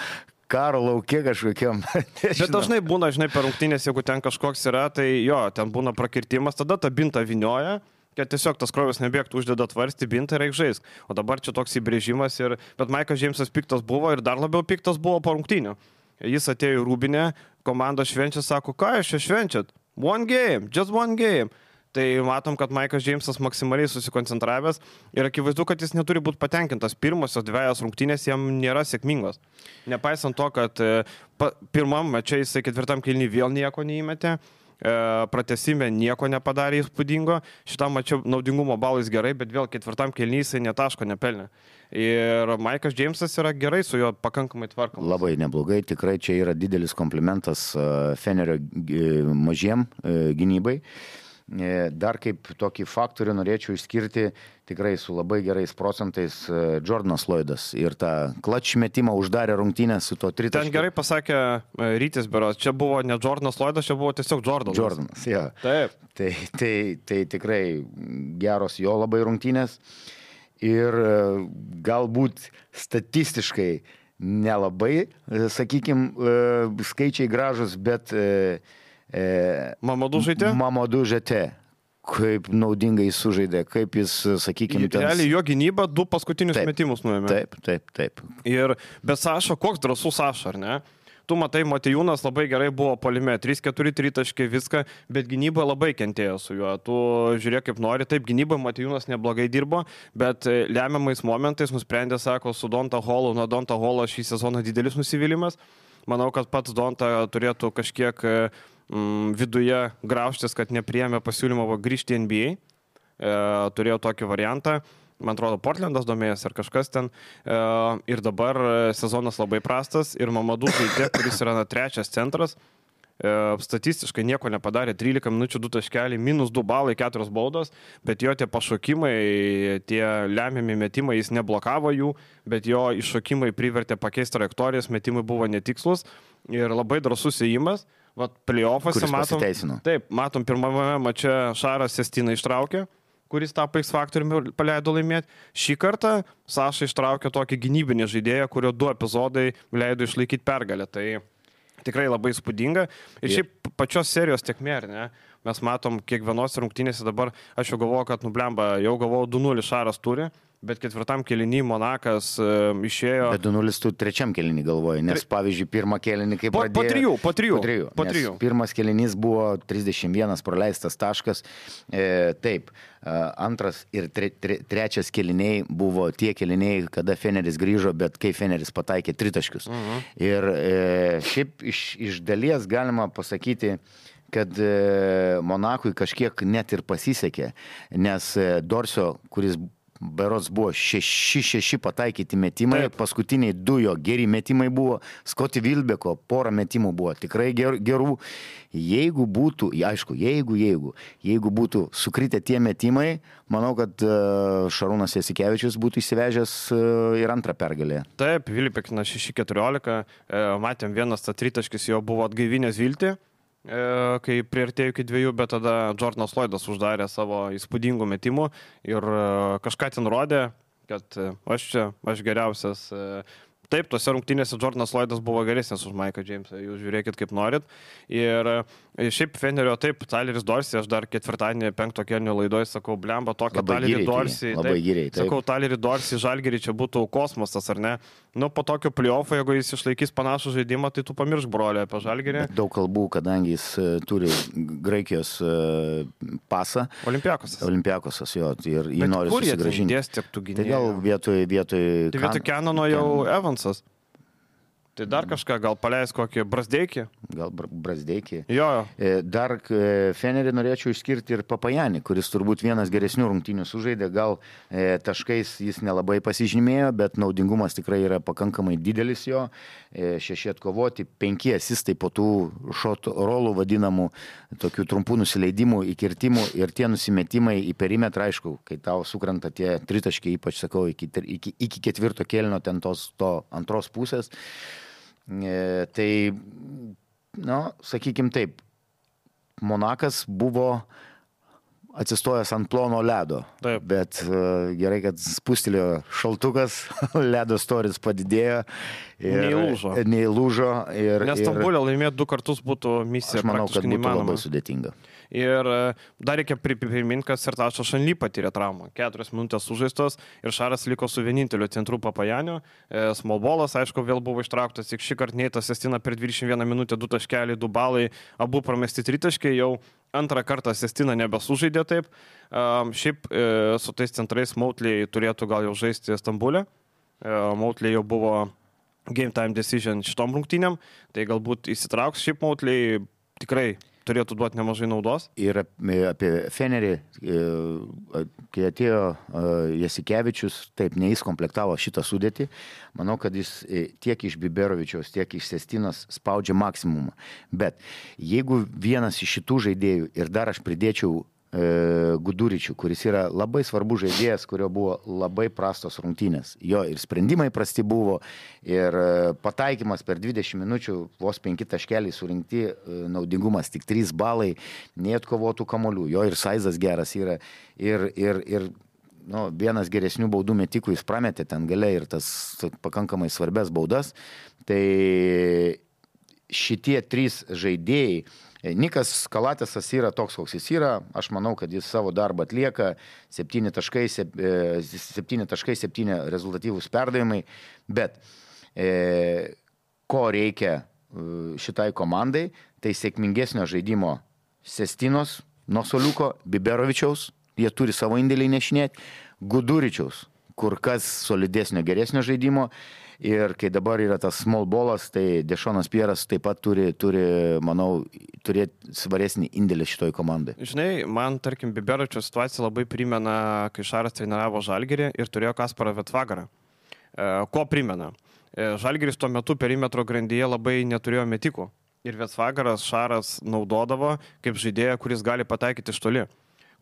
karo laukia kažkokiam. Bet dažnai būna, per rungtynės, jeigu ten kažkoks yra, tai jo, ten būna prakirtimas, tada tą bintą vinioja, kad tiesiog tas kraujas nebėgtų, uždeda tvarstį bintą ir reik žaisk. O dabar čia toks įbrėžimas bet Michael Džeimsas piktas buvo ir dar labiau piktas buvo po rungtynių. Jis atėjo į Rūbinę, komanda švenčia, sako, ką jūs čia švenčiat? One game, just one game. Tai matom, kad Michael Džeimsas maksimaliai susikoncentravęs ir akivaizdu, kad jis neturi būti patenkintas. Pirmosios 2 rungtynės jam nėra sėkmingos. Nepaisant to, kad pirmam mače jisai 4 kėliny vėl nieko neįmetė, pratęsime nieko nepadarė įspūdingo, šitam mače naudingumo balais gerai, bet vėl 4 kėliny jisai netaško nepelnė. Ir Michael Džeimsas yra gerai su juo pakankamai tvarkomas. Labai neblogai, tikrai čia yra didelis komplimentas Fenerio mažiem gynybai. Dar kaip tokį faktorių norėčiau išskirti tikrai su labai gerais procentais Jordanas Lloydas ir tą klač metimą uždarė rungtynės su to tritaškiu. Ten gerai pasakė Rytis beros, čia buvo ne Jordanas Lloydas, čia buvo tiesiog Jordanas. Jordanas, jo. Taip. Tai tikrai geros jo labai rungtynės ir galbūt statistiškai nelabai, sakykime, skaičiai gražus, bet Mamadou Žete, kaip naudingai sužaidė, kaip jis, sakykime, realiai jo gynyba 2 paskutinius metimus nuėmė. Taip. Bet Saša, koks drąsus Saša, ar ne? Tu matai, Motiejūnas labai gerai buvo puolime, 3-4 tritaškiai viską, bet gynyba labai kentėjo su juo. Tu žiūrėk kaip nori, taip, gynyba Motiejūnas neblogai dirbo, bet lemiamais momentais nusprendė, sako, su Donta Hallu, nuo Donta Hallo šį sezoną didelis nusivylimas. Manau, kad pats Donta turėtų kažkiek viduje graužtis, kad nepriėmė pasiūlymą grįžti į NBA. Turėjo tokį variantą. Man atrodo, Portlandas domėjęs ar kažkas ten. Ir dabar sezonas labai prastas. Ir Mamadou Žaidė, kuris yra 3 centras, statistiškai nieko nepadarė. 13 minučių 2 taškeliai, -2 balai, 4 baudos. Bet jo tie pašokimai, tie lemiami metimai, jis neblokavo jų, bet jo iššokimai privertė pakeisti trajektorijas, metimai buvo netikslus. Ir labai drąsus įėjimas. Vat play-offuose matom pirmame mače Šaras Sestiną ištraukė, kuris tapo X faktoriumi paleido laimėti. Šį kartą Saša ištraukė tokį gynybinį žaidėją, kurio 2 epizodai leido išlaikyti pergalę. Tai tikrai labai įspūdinga. Ir šiaip pačios serijos tiekmė, ar ne? Mes matom kiekvienos rungtynėse dabar, aš jau galvoju, kad nublemba, jau galvoju 2-0 Šaras turi. Bet 4 kėlinį Monakas išėjo... Bet 2-0 tu 3 kėlinį galvoji, nes pavyzdžiui, pirmą kėlinį kaip pradėjo... Po trijų. Pirmas kėlinys buvo 31 praleistas taškas. Taip, antras ir trečias kėliniai buvo tie kėliniai, kada Feneris grįžo, bet kai Feneris pataikė 3 taškius. Ir šiaip iš dalies galima pasakyti, kad Monakui kažkiek net ir pasisekė, nes Dorsio, kuris berods buvo 6 pataikyti metimai, paskutiniai 2 jo geri metimai buvo, Scotty Wilbeko porą metimų buvo tikrai gerų. Jeigu būtų, aišku, jeigu būtų sukritę tie metimai, manau, kad Šarūnas Jasikevičius būtų įsivežęs ir antrą pergalę. Taip, Vilipekina 6-14, matėm vienas tritaškis jo buvo atgaivinęs viltį, kai priartėjo iki 2, bet tada Jordanas Lloydas uždarė savo įspūdingų metimų ir kažką ten rodė, kad aš geriausias Taip, tose rungtynėse Jordanas Lloydas buvo geresnis už Mike'ą Jamesą, jūs žiūrėkit kaip norit. Ir šiaip Fenerio, taip, Tyleris Dorsey, aš dar ketvirtadienį 5 kėlinio laidoje sakau, blemba, tokia Tylerį Dorsey. Labai giriai. Sakau, Tylerį Dorsey, Žalgirį čia būtų kosmosas, ar ne? Nu, po tokio playoffo, jeigu jis išlaikys panašų žaidimą, tai tu pamiršk brolį apie Žalgirį. Daug kalbų, kadangi jis turi Graikijos pasą. Olimpiakosas, jo, ir jį nori susigrąžinti. Tai gal vietoj Kenano jau Evansas. Tai dar kažką, gal paleis kokį Brazdeikį? Gal Brazdeikį. Jo. Dar Fenerį norėčiau išskirti ir Papajanį, kuris turbūt vienas geresnių rungtynių sužaidė. Gal taškais jis nelabai pasižymėjo, bet naudingumas tikrai yra pakankamai didelis jo. 6 atkovoti, 5 asistai po tų shot rolų vadinamų, tokių trumpų nusileidimų, įkirtimų ir tie nusimetimai į perimetrą, aišku, kai tau sukrenta tie tritaškiai, ypač sakau, iki 4 kėlinio ten to antros pusės. Tai, sakykim taip, Monakas buvo atsistojęs ant plono ledo, taip. Bet gerai, kad spustelėjo šaltukas, ledo storis padidėjo ir neįlūžo. Nes Stambulė laimėti 2 kartus būtų misija. Aš manau, kad būtų labai sudėtinga. Ir dar reikia priminti, kad Sertačas Šanly patyrė traumą. 4 minutės sužaistos ir Šaras liko su vieninteliu centru Papajaniu. Smallballas, aišku, vėl buvo ištrauktas. Tik šį kartą Neitas Sestina per 21 minutę 2 taškeliai, 2 balai, abu pramesti tritaškiai, jau antrą kartą Sestina nebesužaidė taip. Šiaip su tais centrais Mautley turėtų gal jau žaisti Stambulė. Mautley jau buvo game time decision šitom rungtynėm, tai galbūt įsitrauks. Šiaip Mautley tikrai turėtų duoti nemažai naudos. Ir apie Fenerį, kai atėjo Jasikevičius, taip, ne jis komplektavo šitą sudėtį. Manau, kad jis tiek iš Biberovičiaus, tiek iš Sestinos spaudžia maksimumą. Bet jeigu vienas iš šitų žaidėjų ir dar aš pridėčiau Guduričių, kuris yra labai svarbus žaidėjas, kurio buvo labai prastos rungtynės. Jo ir sprendimai prasti buvo, ir pataikymas per 20 minučių, vos 5 taškeliai surinkti, naudingumas tik 3 balai, neatkovotų kamuolių. Jo ir saizas geras yra, ir vienas geresnių baudų metikų jis prametė ten gale ir tas pakankamai svarbias baudas. Tai šitie 3 žaidėjai, Nikas Kalatesas yra toks, koks jis yra. Aš manau, kad jis savo darbą atlieka. 7 taškai, 7 rezultatyvūs perdavimai. Bet ko reikia šitai komandai, tai sėkmingesnio žaidimo Sestinos, nuo suoliuko, Biberovičiaus, jie turi savo indėlį nešinėti, Guduričiaus, kur kas solidesnio, geresnio žaidimo. Ir kai dabar yra tas small ballas, tai Dešonas Pieras taip pat turi, manau, turėti svaresnį indėlį šitoj komandai. Žinai, man, tarkim, Biberovičio situacija labai primena, kai Šaras treniravo Žalgirį ir turėjo Kasparą Vetvagarą. Ko primena? Žalgiris tuo metu perimetro grandyje labai neturėjo metikų. Ir Vetvagaras Šaras naudodavo kaip žaidėją, kuris gali pataikyti iš toli.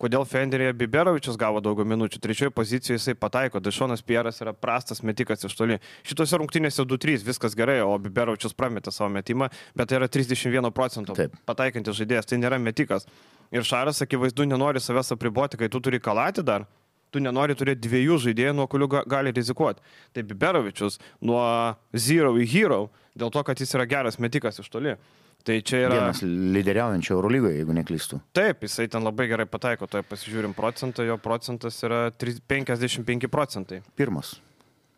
Kodėl Feneryje Biberovičius gavo daugiau minučių? 3 pozicijoje jisai pataiko, Dešonas Pieras yra prastas metikas iš toli. Šitose rungtynėse 2-3 viskas gerai, o Biberovičius prametė savo metimą, bet tai yra 31% pataikantis žaidėjas, tai nėra metikas. Ir Šaras, akivaizdu, nenori savęs apriboti, kai tu turi Kalatį dar, tu nenori turėti 2 žaidėjų, nuo kurių gali rizikuoti. Tai Biberovičius nuo zero į hero, dėl to, kad jis yra geras metikas iš toli. Tai čia yra vienas lyderiaujančio Eurolygoje, jeigu neklystu. Taip, jisai ten labai gerai pataiko, tai pasižiūrim procentą, jo procentas yra 55%. Pirmas.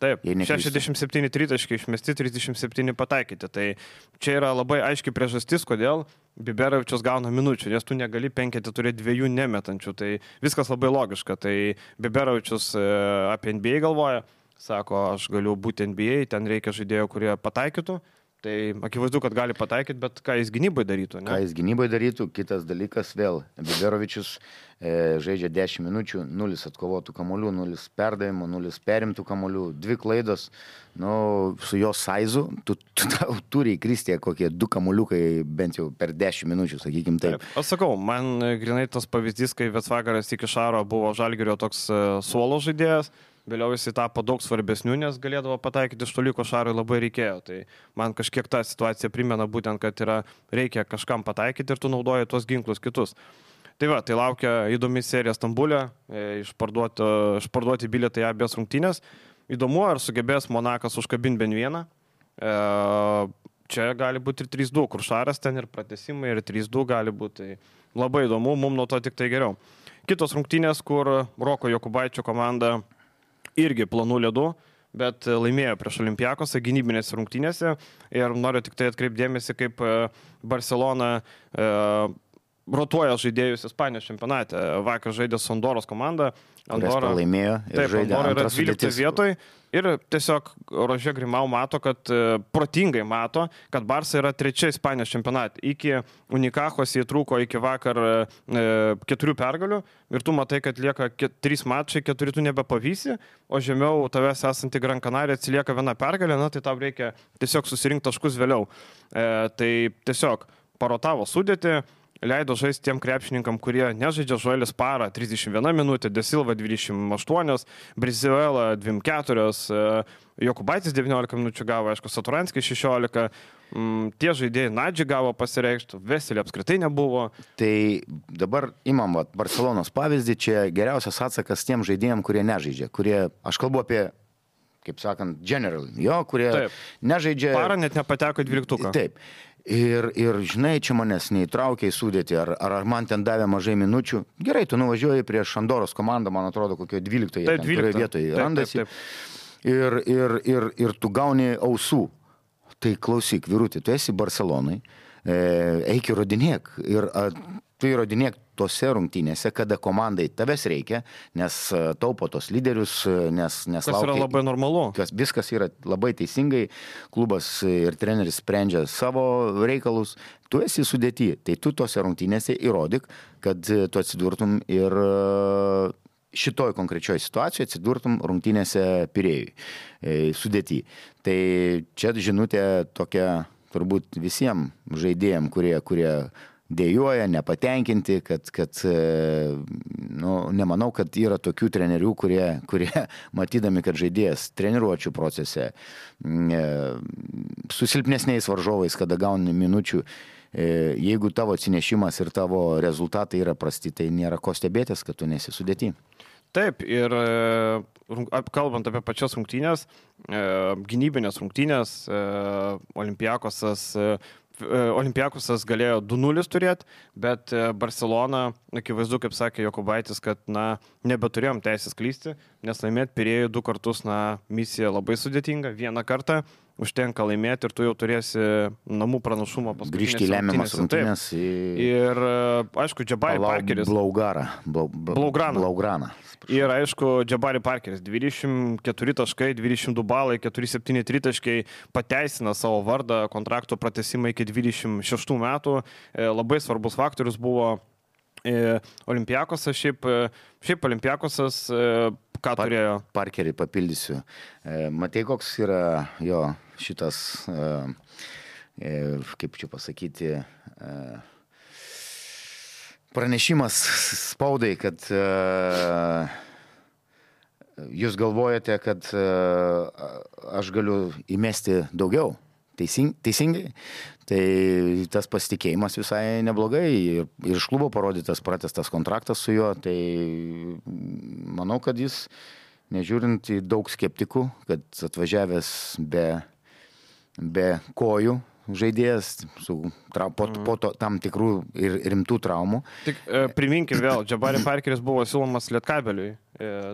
Taip, 67 tritaškiai išmesti, 37 pataikyti. Tai čia yra labai aiški priežastis, kodėl Biberovičius gauna minučių, nes tu negali 5 turėti 2 nemetančių. Tai viskas labai logiška. Tai Biberovičius apie NBA galvoja, sako, aš galiu būti NBA, ten reikia žaidėjų, kurie pataikytų. Tai akivaizdu, kad gali pataikyti, bet ką jis gynybai darytų, ne? Ką jis gynybai darytų, kitas dalykas vėl. Biberovičius žaidžia 10 minučių, 0 atkovotų kamuolių, 0 perdavimų, 0 perimtų kamuolių, 2 klaidos. Su jo saizu, tu turi įkristė kokie 2 kamuoliukai bent jau per 10 minučių, sakykim taip. Aš sakau, man grinai tas pavyzdys, kai Vetvagaras iki Šaro buvo Žalgirio toks suolo žaidėjas. Vėliau jis tapo daug svarbesnių, nes galėdavo pataikyti iš toliko, Šarui labai reikėjo. Tai man kažkiek ta situacija primena būtent, kad reikia kažkam pataikyti ir tu naudoji tuos ginklus kitus. Tai va, tai laukia įdomi serija Stambulė, išparduoti bilietai abiejas rungtynės. įdomu, ar sugebės Monakas užkabinti bent vieną. Čia gali būti ir 3-2, kur Šaras ten ir pratęsimai, ir 3-2 gali būti. Tai labai įdomu, mums nuo to tik tai geriau. Kitos rungtynės, kur Roko Jokubaičio komanda irgi planų ledų, bet laimėjo prieš Olympiakosą gynybinėse rungtynėse. Ir noriu tik tai atkreipdėmėsi, kaip Barcelona rotuoja žaidėjus Ispanijos čempionate. Vakar žaidė su Andoros komanda. Andora laimėjo ir žaidė Andora yra 12 vietoj. Ir tiesiog Rožė Grimau mato, kad protingai mato, kad Barsa yra 3 Ispanijos čempionate. Iki Unikachos jie trūko iki vakar 4 pergalių ir tu matai, kad lieka 3 mačai, 4 tu nebepavysi, o žemiau tavęs esanti Gran Canaria atsilieka 1 pergalė, na tai tau reikia tiesiog susirinkti taškus vėliau. Tai tiesiog parotavo sudėtį, leido žaisti tiem krepšininkam, kurie nežaidžia. Žoelis Parą 31 minutė, De Silva 28, Brizuela 24, Jokubaitis 19 minučių gavo, aišku, Saturanskis 16, tie žaidėjai Nadži gavo pasireikšti, Veselė apskritai nebuvo. Tai dabar imam Barcelonos pavyzdį, čia geriausias atsakas tiem žaidėjim, kurie nežaidžia, kurie, aš kalbu apie, kaip sakant, general, kurie Taip. nežaidžia. Parą net nepateko į 12. Taip. Ir žinai, čia manęs neįtraukė į sudėtį, ar man ten davė mažai minučių. Gerai, tu nuvažiuoji prieš Andoros komandą, man atrodo, kokio 12 vietoje randasi. Ir tu gauni ausų. Tai klausyk, vyruti, tu esi Barcelonai, eik įrodinėk. Ir tu įrodinėk tose rungtynėse, kada komandai tavęs reikia, nes taupo tos lyderius, nes Kas laukia. yra labai normalu. Viskas yra labai teisingai, klubas ir treneris sprendžia savo reikalus, tu esi sudėti, tai tu tose rungtynėse įrodyk, kad tu atsidurtum ir šitoj konkrečioj situacijoje atsidurtum rungtynėse Pirėjui sudėti. Tai čia žinutė tokia turbūt visiems žaidėjams, kurie dėjuoja, nepatenkinti, kad nemanau, kad yra tokių trenerių, kurie matydami, kad žaidėjas treniruočių procese su silpnesniais varžovais, kada gauni minučių, jeigu tavo atsinešimas ir tavo rezultatai yra prasti, tai nėra ko stebėtis, kad tu nesi sudėti. Taip, ir kalbant apie pačias rungtynės, gynybinės rungtynės, Olympiakosas galėjo 2-0 turėti, bet Barcelona, akivaizdu, kaip sakė Jokubaitis, kad nebeturėjom teisės klysti, nes laimėti Pirėjų 2 kartus, misija labai sudėtinga, 1 kartą užtenka laimėti ir tu jau turėsi namų pranašumą paskutinėse rungtynėse. Grįžti į lemiamas rungtynės. Ir aišku, Džabari Parkeris. Blaugraną. Ir aišku, Džabari Parkeris 24 taškai, 22 balai, 4-7 tritaškai pateisina savo vardą, kontrakto pratęsimą iki 26 metų. Labai svarbus faktorius buvo Olympiakosas, šiaip Olympiakosas ką turėjo? Parkerį papildysiu. Matai, koks yra jo šitas, kaip čia pasakyti, pranešimas spaudai, kad jūs galvojate, kad aš galiu įmesti daugiau. Teisingai? Tai tas pasitikėjimas visai neblogai ir iš klubo parodytas pratęstas kontraktas su juo, tai manau, kad jis, nežiūrint į daug skeptikų, kad atvažiavęs be kojų žaidėjas po tam tikrų ir rimtų traumų. Tik priminkim vėl, Džabari Parkeris buvo siūlomas Lietkabeliui,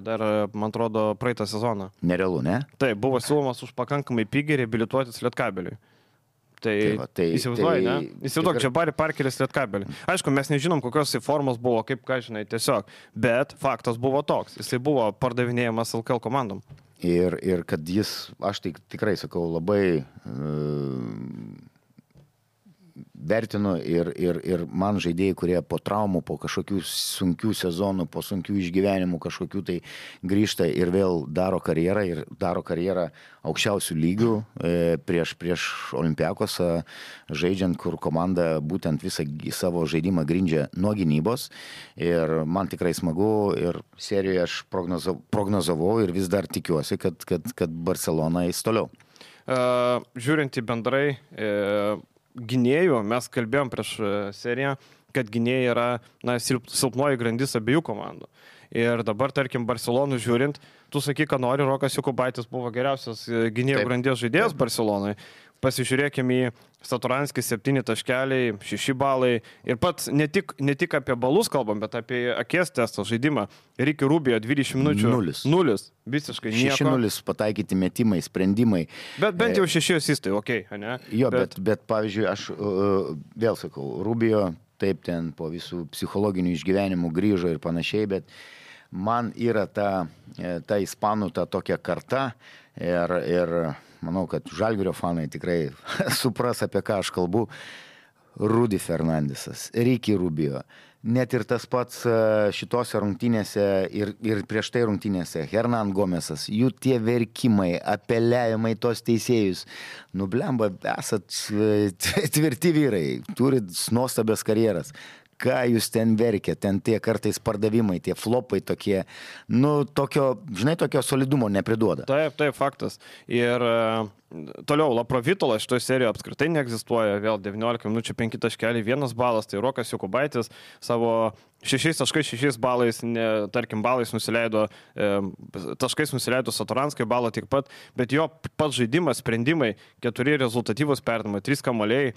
dar, man atrodo, praeitą sezoną. Nerealu, ne? Taip, buvo siūlomas už pakankamai pigiai reabilituotis Lietkabeliui. Tai įsivaizduoji, ne? Įsivaizduok, Džabari Parkeris Lietkabeliui. Aišku, mes nežinom, kokios formos buvo, kaip ką žinai, tiesiog, bet faktas buvo toks, jisai buvo pardavinėjamas LKL komandom. Ir kad jis, aš tikrai sakau, labai vertinu ir man žaidėjai, kurie po traumų, po kažkokių sunkių sezonų, po sunkių išgyvenimų kažkokių tai grįžta ir vėl daro karjerą aukščiausių lygių prieš Olympiakosą, žaidžiant, kur komanda būtent visą savo žaidimą grindžia nuo gynybos. Ir man tikrai smagu ir serijoje aš prognozavau ir vis dar tikiuosi, kad Barcelona eis toliau. Žiūrint į bendrai gynėjų, mes kalbėjom prieš seriją, kad gynėjai yra silpnoji grandis abiejų komandų. Ir dabar, tarkim, Barcelonų žiūrint, tu sakai, ką nori, Rokas Jokubaitis buvo geriausias gynėjų grandies žaidėjas Barcelonai. Pasižiūrėkime į Satoranskį 7 taškeliai, 6 balai. Ir pats ne tik apie balus kalbam, bet apie akies testo žaidimą. Ricky Rubio 20 minučių. 0. Visiškai nieko. 6-0 pataikyti metimai, sprendimai. Bet bent jau 6 asistai, okei, ne? Jo, bet pavyzdžiui, aš vėl sakau, Rubio taip ten po visų psichologinių išgyvenimų grįžo ir panašiai, bet man yra ta ispanų ta tokia karta ir manau, kad Žalgirio fanai tikrai supras, apie ką aš kalbu. Rudy Fernandesas, Ricky Rubio, net ir tas pats šitose rungtynėse ir prieš tai rungtynėse, Hernan Gomesas, jų tie verkimai, apeliavimai tos teisėjus. Nublemba, esat tvirti vyrai, turit nuostabias karjeras. Ką jūs ten verkia, ten tie kartais pardavimai, tie flopai tokie, tokio solidumo nepriduoda. Taip, faktas. Ir toliau, Laprovitolas šitoje serijoje apskritai neegzistuoja, vėl 19 minučių 5 taškeliai, 1 balas, tai Rokas Jokubaitis savo 6 balais, tarkim, balais nusileido, taškais nusileido Satoranskai, balą tik pat, bet jo pats žaidimas, sprendimai, 4 rezultatyvus perdavimai, 3 kamuoliai,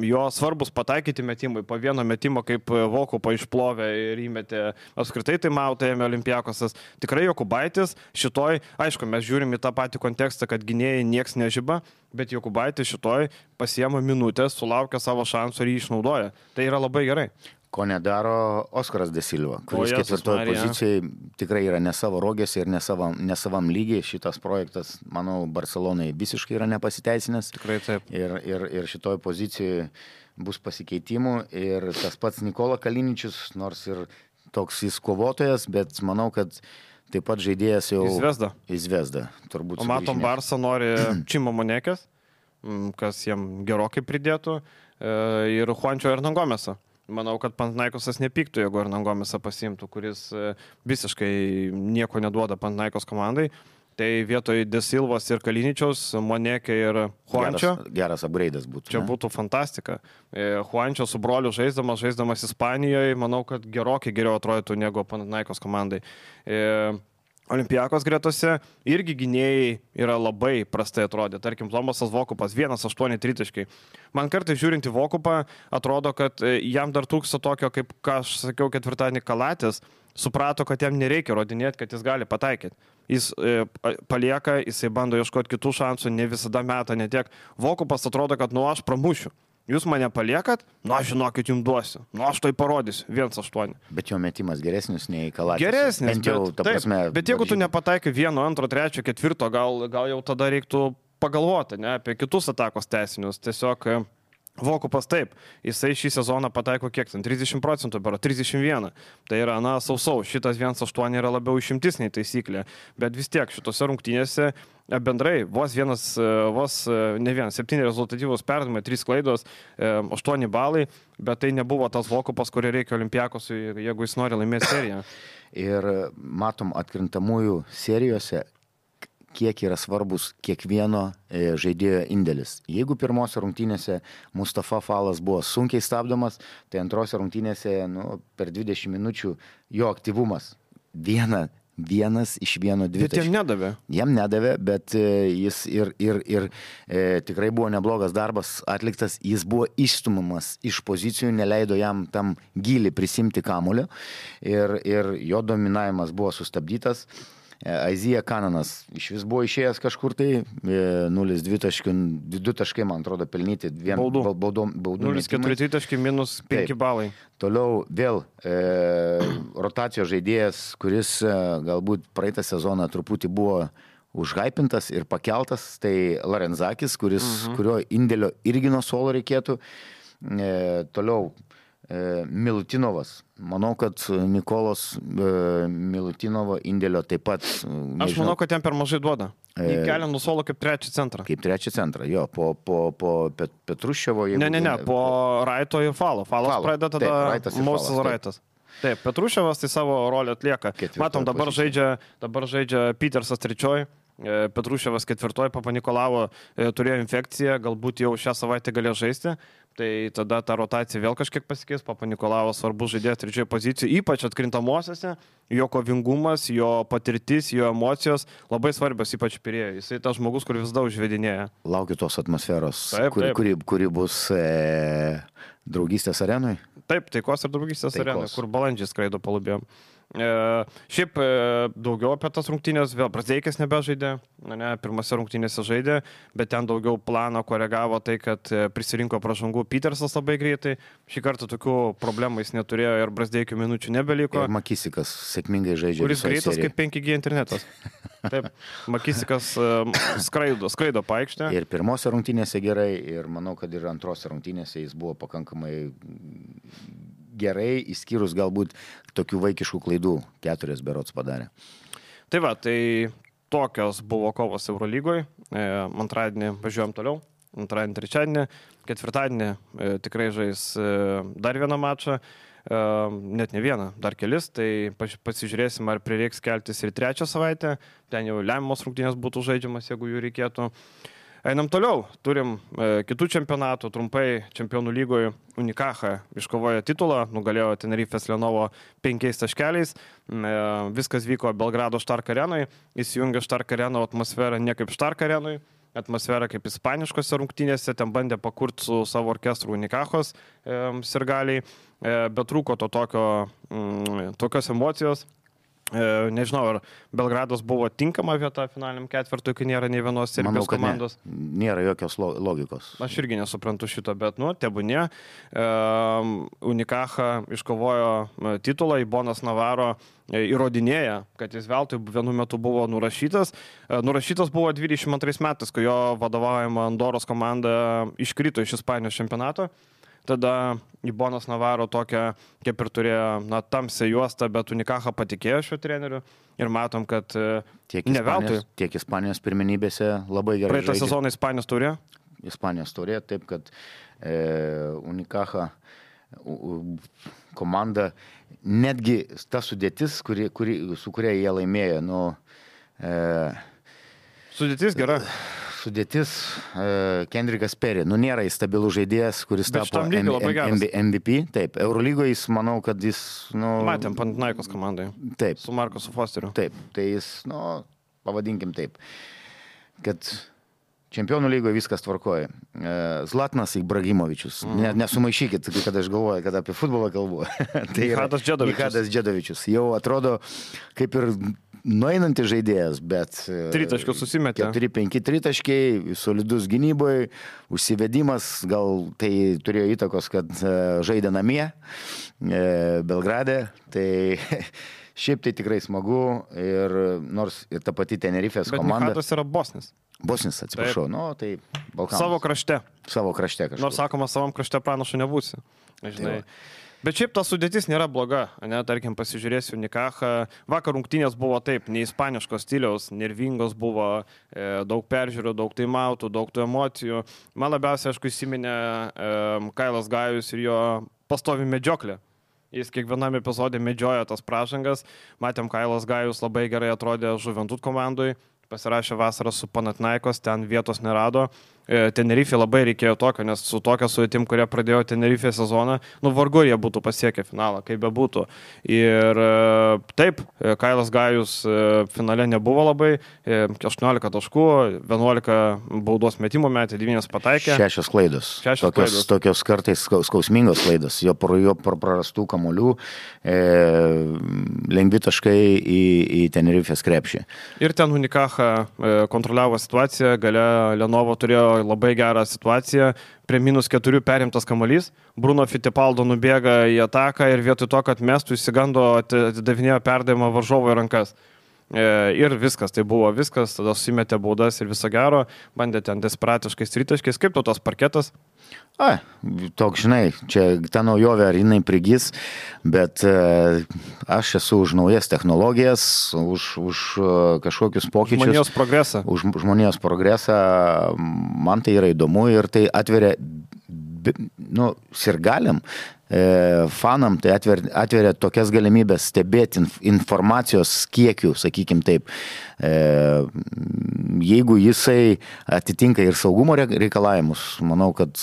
jo svarbus pataikyti metimai, po vieno metimo kaip Vokupą išplovė ir įmetė, apskritai tai mautėjame Olimpiakosas. Tikrai Jokubaitis šitoj, aišku, mes žiūrim į tą patį kontekstą, kad gynėjai nieks nežiba, bet Jokubaitis šitoj pasiema minutės, sulaukia savo šansų ir jį išnaudoja. Tai yra labai gerai. Ko nedaro Oskaras De Silva, kuris ketvirtoje pozicijoje tikrai yra ne savo rogėse ir ne savam lygiai. Šitas projektas, manau, Barcelonai visiškai yra nepasiteisinęs. Tikrai taip. Ir šitoje pozicijoje bus pasikeitimų. Ir tas pats Nikola Kaliničius, nors ir toks jis kovotojas, bet manau, kad taip pat žaidėjas jau... Įzvezda. O matom, Barsa nori Čimo Monekės, kas jam gerokai pridėtų, ir Juančio Hernangomesą. Manau, kad Panathinaikosas nepyktų, jeigu Hernangomesą pasiimtų, kuris visiškai nieko neduoda Panathinaikos komandai. Tai vietoj De Silvos ir Kaliničiaus, Monekė ir Juančio. Geras upgrade'as būtų. Čia būtų fantastika. Juančio su broliu žaisdamas Ispanijoje, manau, kad gerokai geriau atrodytų negu Panathinaikos komandai. Olimpiakos gretose irgi gynėjai yra labai prastai atrodė. Tarkim, Tomasas Vokupas 1-8 tritaškai. Man kartais žiūrint į Vokupą, atrodo, kad jam dar trūksta tokio, kaip, ką aš sakiau, ketvirtadienį Kalatės, suprato, kad jam nereikia rodinėti, kad jis gali pataikyti. Jis palieka, jisai bando ieškoti kitų šansų, ne visada meta, netiek. Vokupas atrodo, kad aš pramušiu. Jūs mane paliekat, aš žinokit, jums duosiu. Aš tai parodysiu, 1-8. Bet jo metimas geresnis nei Kalatės. Geresnis, bet jeigu tu nepataikai 1, 2, 3, 4, gal jau tada reiktų pagalvoti, ne, apie kitus atakos teisinius. Tiesiog Vokupas taip, jisai šį sezoną pataiko kiek ten, 30%, 31. Tai yra, sausau, šitas 1-8 yra labiau išimtis nei taisyklė, bet vis tiek šitose rungtynėse bendrai vos 7 rezultatyvus perdavimai, 3 klaidos, 8 balai, bet tai nebuvo tas Vokupas, kurį reikia Olimpiakosui, jeigu jis nori laimėti seriją. Ir matom atkrintamųjų serijose, kiek yra svarbus kiekvieno žaidėjo indėlis. Jeigu pirmose rungtynėse Mustafa Falas buvo sunkiai stabdomas, tai antrose rungtynėse per 20 minučių jo aktyvumas vienas iš 1-2. Bet jam nedavė. Jam nedavė, bet jis ir tikrai buvo neblogas darbas atliktas. Jis buvo išstumamas iš pozicijų, neleido jam tam gilį prisimti kamuolio ir jo dominavimas buvo sustabdytas. Aizija Kananas iš vis buvo išėjęs kažkur tai 0-2 taškai, man atrodo, pelnyti baudų 0-4 taškai minus 5 balai. Toliau vėl rotacijos žaidėjas, kuris galbūt praeitą sezoną truputį buvo užhypintas ir pakeltas, tai Larenzakis, kurio indėlio irgi nuo suolo reikėtų. Toliau Milutinovas. Manau, kad Nikolos Milutinovo indėlio taip pat... Aš manau, kad jam per mažai duoda. Jį kelia nuo suolo kaip trečią centrą. Kaip trečią centrą, jo. Po Petruščiovo... Ne, po Raito ir Falo. Falas pradeda tada Moses Raitas. Taip, Petruščiovas tai savo rolę atlieka. Matom, dabar žaidžia Petersas trečioj. Petruševas 4, Papanikolavo turėjo infekciją, galbūt jau šią savaitę galėjo žaisti. Tai tada ta rotacija vėl kažkiek pasikeis, Papanikolavas svarbus žaidėjas 3 pozicijoje, ypač atkrintamosiose, jo kovingumas, jo patirtis, jo emocijos labai svarbios, ypač Pirėjo. Jisai tas žmogus, kur vis daug užvedinėja. Laukiu tos atmosferos, Taip. kuri bus draugystės arenui. Taip, taikos ir draugystės arenui, kur balandžiai skraido palubėjom. Šiaip daugiau apie tas rungtynės, vėl Brazdeikis nebežaidė, pirmose rungtynėse žaidė, bet ten daugiau planą koregavo tai, kad prisirinko pražangų Petersas labai greitai, šį kartą tokių problemų jis neturėjo ir Brazdeikių minučių nebeliko. Ir Makisikas sėkmingai žaidžia. Kuris greitas kaip 5G internetas. Taip, Makisikas skraido paikštę. Ir pirmose rungtynėse gerai, ir manau, kad ir antrose rungtynėse jis buvo pakankamai gerai, išskyrus galbūt tokių vaikiškų klaidų, 4 berods padarė. Tai va, tai tokios buvo kovos Eurolygoje. Antradienį važiuojam toliau, antradienį, trečiadienį, ketvirtadienį tikrai žais dar vieną mačą, net ne vieną, dar kelis, tai pasižiūrėsim, ar prireiks keltis ir trečią savaitę, ten jau lemiamos rungtynės būtų žaidžiamas, jeigu jų reikėtų. Einam toliau, turim kitų čempionatų, trumpai Čempionų lygoje Unicaja iškovojo titulą, nugalėjo Tenerifės Lenovo 5 taškeliais, viskas vyko Belgrado Štark arenui, įsijungė Štark areno atmosferą ne kaip Štark arenui, atmosferą kaip ispaniškose rungtynėse, ten bandė pakurti su savo orkestru Unicajos sirgaliai, bet trūko tokios emocijos. Nežinau, ar Belgradas buvo tinkama vieta finaliniam ketvirtui, kai nėra nei vienos Serbijos komandos. Nėra jokios logikos. Aš irgi nesuprantu šito, bet, tebūnie. Unicaja iškovojo titulą, Ibonas Navarro įrodinėja, kad jis veltui vienu metu buvo nurašytas. Nurašytas buvo 22 metais, kai jo vadovaujama Andoros komanda iškrito iš Ispanijos čempionato. Tada Ibonas Navarro tokią, kaip ir turėjo, tamsią juostą, bet Unicaja patikėjo šiuo treneriu ir matom, kad ne veltui. Tiek Ispanijos pirmenybėse labai gerai žaidė. Praeitą sezoną Ispanijos turėjo? Ispanijos turėjo, taip, kad Unicaja komanda, netgi ta sudėtis, su kuria jie laimėjo, sudėtis gera. Sudėtis Kendrickas Perry. Nėra jis stabilų žaidėjas, kuris tapo MVP. Taip, Eurolygoje jis, manau, kad jis... Matėm Panathinaikos komandai. Taip. Su Markusu Fosteriu. Taip, tai jis, pavadinkim taip, kad Čempionų lygoje viskas tvarkoja. Zlatnas Ibrahimovičius. Nesumaišykit, kad aš galvoju, kad apie futbolą kalbu. Tai Nihadas Džedovičius. Jau atrodo kaip ir nueinantis žaidėjas, bet... Tritaškius susimetė. 4-5 tritaškiai, solidus gynyboje, užsivedimas, gal tai turėjo įtakos, kad žaidė namie, Belgrade, tai šiaip tai tikrai smagu ir nors ir ta pati Tenerifės komanda... Bet Nihadas yra Bosnis. Bosnis, atsiprašau, tai Balkanas. Savo krašte. Savo krašte kažkaip. Nors sakoma, savam krašte pranašu nebūsi. Žinai. Bet šiaip ta sudėtis nėra bloga, tarkim, pasižiūrėsiu Unicaja. Vakar rungtynės buvo taip, ne ispaniškos stiliaus, nervingos buvo, daug peržiūrų, daug taimautų, daug tų emocijų. Man labiausiai, aišku, įsiminė Kailas Gajus ir jo pastovi medžioklė. Jis kiekvienam epizodė medžioja tas pražangas. Matėm, Kailas Gajus labai gerai atrodė Žuventut komandui. Pasirašė vasarą su Panathinaikos, ten vietos nerado. Tenerifė labai reikėjo tokio, nes su tokia sudėtim, kurie pradėjo Tenerifė sezoną, vargu jie būtų pasiekę finalą, kaip be būtų. Ir taip, Kailas Gajus finale nebuvo labai, 18 taškų, 11 baudos metimų metė, 9 pataikė. 6 klaidos. Tokios kartais skausmingos klaidos, jo prarastų kamuolių, lengvi taškai į Tenerifės krepšį. Ir ten Unicaja kontroliavo situaciją, gale Lenovo turėjo labai gerą situaciją, prie -4 perimtas kamuolys, Bruno Fittipaldo nubėga į ataką ir vietoj to, kad mestų, įsigando, atidavinėjo perdavimą varžovo į rankas. Ir viskas, tai buvo viskas, tada susimetė baudas ir viso gero, bandė ten desperatiškais tritaškiais, kaip tas parketas? Toks, žinai, čia ta naujovė, ar jinai prigis, bet aš esu už naujas technologijas, už kažkokius pokyčius. Žmonijos progresą. Už žmonijos progresą, man tai yra įdomu ir tai atveria, sirgaliam, fanam, tai atveria tokias galimybės stebėti informacijos kiekių, sakykim taip. Jeigu jisai atitinka ir saugumo reikalavimus, manau, kad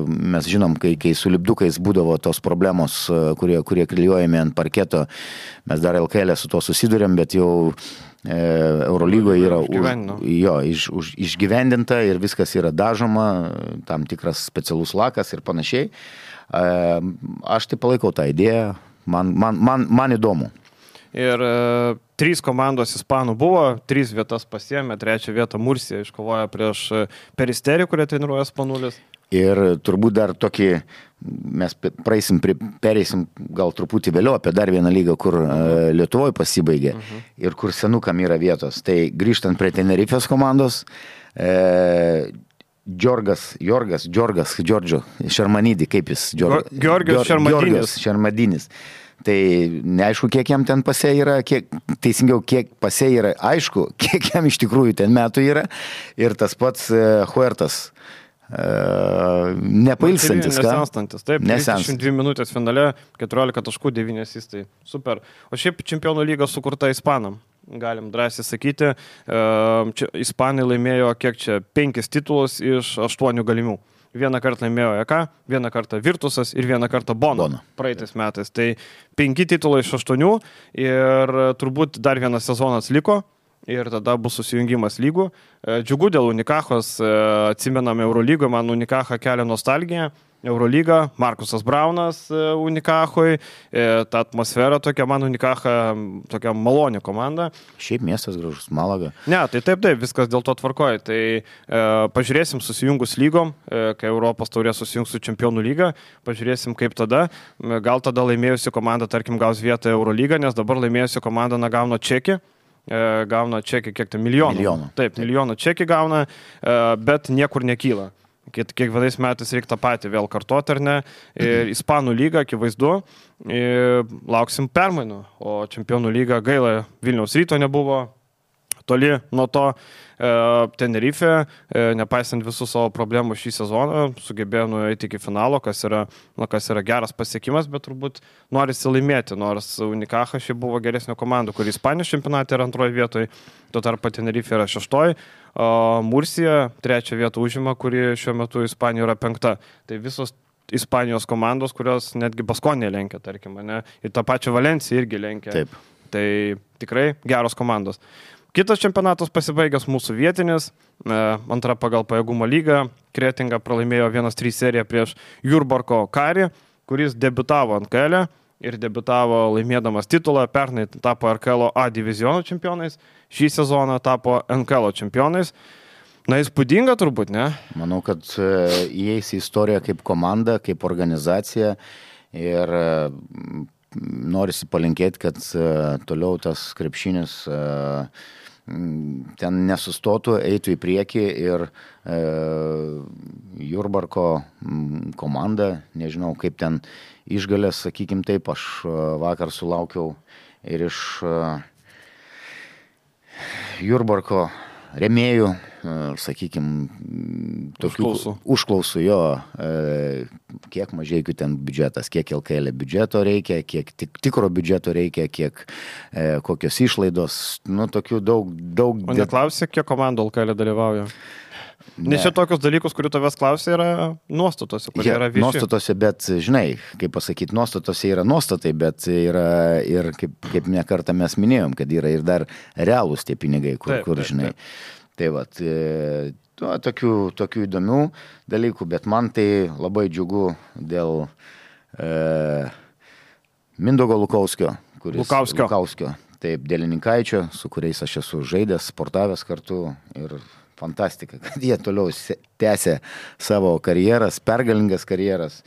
mes žinom, kai su lipdukais būdavo tos problemos, kurie klijuojami ant parketo, mes dar LKL su to susidurėm, bet jau Eurolygoje yra išgyvendinta ir viskas yra dažoma, tam tikras specialus lakas ir panašiai. Aš tai palaikau tą idėją, man įdomu. Ir 3 komandos ispanų buvo, 3 vietas pasiėmė, 3 vietą Mursija iškovojo prieš Peristerį, kurie treniruoja Spanulis. Ir turbūt dar tokį, mes pereisim gal truputį vėliau apie dar vieną lygą, kur Lietuvoje pasibaigė ir kur senukam yra vietos. Tai grįžtant prie Tenerifės komandos, Džordžio Šermanidį, kaip jis? Georgios Šermadinis. Tai neaišku, kiek jam ten pase yra, kiek pase yra, aišku, kiek jam iš tikrųjų ten metų yra. Ir tas pats Huertas, nepailstantis, ką? Nesenstantis, taip, 22 minutės finale, 14 taškų, 9 asistai, super. O šiaip čempionų lyga sukurta ispanam, galim drąsiai sakyti. Ispanai laimėjo, 5 titulus iš 8 galimų. Vieną kartą laimėjo EK, vieną kartą Virtusas ir vieną kartą Bono praeitais metais. Tai 5 titulai iš 8 ir turbūt dar vienas sezonas liko ir tada bus susijungimas lygų. Džiugu dėl Unikachos, atsimename Eurolygoje, man Unikacha kelia nostalgiją. Eurolyga, Markusas Braunas Unikachui, ta atmosfera tokia, man Unikacha tokia malonė komanda. Šiaip miestas gražus, Malaga. Ne, tai taip, viskas dėl to tvarkoja. Tai pažiūrėsim susijungus lygom, kai Europos taurė susijungs su Čempionų lyga, pažiūrėsim kaip tada. Gal tada laimėjusi komanda, tarkim, gaus vietą Eurolygą, nes dabar laimėjusi komanda gauna čekį. Gauna čekį kiek tai milijonų. Taip, milijonų čekį gauna, bet niekur nekyla. Kiekvienais metais reikia tą patį vėl kartuoti, ar ne? Ir Ispanų lyga, akivaizdu, lauksim permainų, o Čempionų lyga gaila Vilniaus Ryto nebuvo, toli nuo to. Tenerife, nepaisant visų savo problemų šį sezoną, sugebėjo nueiti iki finalo, kas yra geras pasiekimas, bet turbūt norisi laimėti, nors Unikacha šiaip buvo geresnio komandų, kur Ispanijos čempionate yra 2 vietoje, tuo tarpu Tenerife yra 6, o Mursija 3 vietą užima, kuri šiuo metu Ispanijoje yra 5. Tai visos Ispanijos komandos, kurios netgi Baskonė lenkia, tarkim, ne? Ir tą pačią Valenciją irgi lenkia. Taip. Tai tikrai geros komandos. Kitas čempionatas pasibaigęs mūsų vietinis, 2 pagal pajėgumo lygą, Kretinga pralaimėjo 1-3 seriją prieš Jurbarko Karį, kuris debiutavo NKL ir debiutavo laimėdamas titulą, pernai tapo RKL A diviziono čempionais, šį sezoną tapo NKL čempionais. Na, įspūdinga turbūt, ne? Manau, kad įeis į istoriją kaip komanda, kaip organizacija ir norisi palinkėti, kad toliau tas krepšinis ten nesustotų, eitų į priekį ir Jurbarko komanda, nežinau kaip ten išgalės, sakykim taip, aš vakar sulaukiau ir iš Jurbarko rėmėjų, sakykim, tokių užklausų jo, kiek Mažeikių ten biudžetas, kiek LKL biudžeto reikia, kiek tikro biudžeto reikia, kiek kokios išlaidos, nu, tokių daug. O neklausė, kiek komandų LKL dalyvauja? Nes čia tokius dalykus, kurių tavęs klausia, yra nuostatose, kurie yra vieši. Nuostatose, bet, žinai, kaip pasakyti, nuostatose yra nuostatai, bet yra ir, kaip ne kartą mes minėjom, kad yra ir dar realūs tie pinigai, kur žinai. Tai vat, tokių įdomių dalykų, bet man tai labai džiugu dėl Mindaugo Lukauskio. Lukauskio. Taip, dėl Lininkaičio, su kuriais aš esu žaidęs, sportavęs kartu ir fantastika, kad jie toliau tęsia savo karjeras, pergalingas karjeras.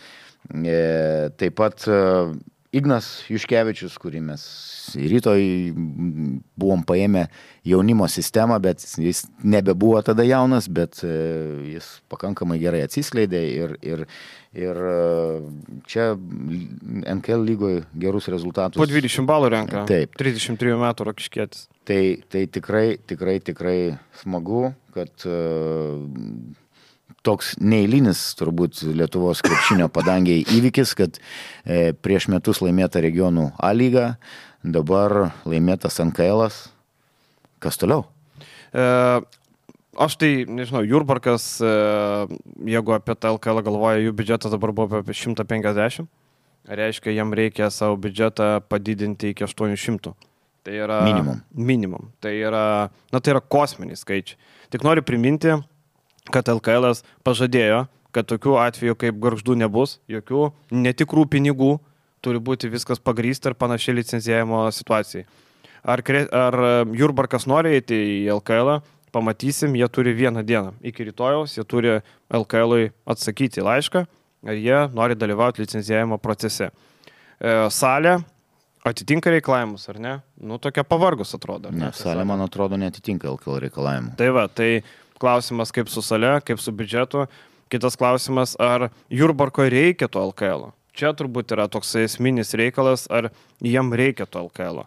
Taip pat Ignas Juškevičius, kurį mes rytoj buvom paėmę jaunimo sistemą, bet jis nebebuvo tada jaunas, bet jis pakankamai gerai atsiskleidė ir čia NKL lygoje gerus rezultatus. Po 20 balų renka. Taip. 33 metų Rokiškietis. Tai tikrai smagu, kad toks neeilinis turbūt Lietuvos krepšinio padangiai įvykis, kad prieš metus laimėta regionų A lyga, dabar laimėtas NKL'as. Kas toliau? Aš tai, nežinau, Jurbarkas, jeigu apie tą LKL galvoja, jų biudžetas dabar buvo apie 150. Reiškia, jam reikia savo biudžetą padidinti iki 800. Tai yra minimum. Tai yra kosminiai skaičiai. Tik noriu priminti, kad LKL pažadėjo, kad tokių atvejų kaip Gargždų nebus, jokių netikrų pinigų, turi būti viskas pagrįsta ir panašiai licencijavimo situacijai. Ar Jurbarkas nori eiti į LKL, pamatysim, jie turi vieną dieną. Iki rytojaus jie turi LKL atsakyti laišką, ar jie nori dalyvauti licencijavimo procese. Salė atitinka reikalavimus, ar ne? Tokia pavargus atrodo. Ne, salė, man atrodo, netitinka LKL reikalavimų. Tai klausimas kaip su salė, kaip su biudžetu. Kitas klausimas, ar Jurbarko reikia to LKL. Čia turbūt yra toks esminis reikalas, ar jiem reikia to LKL.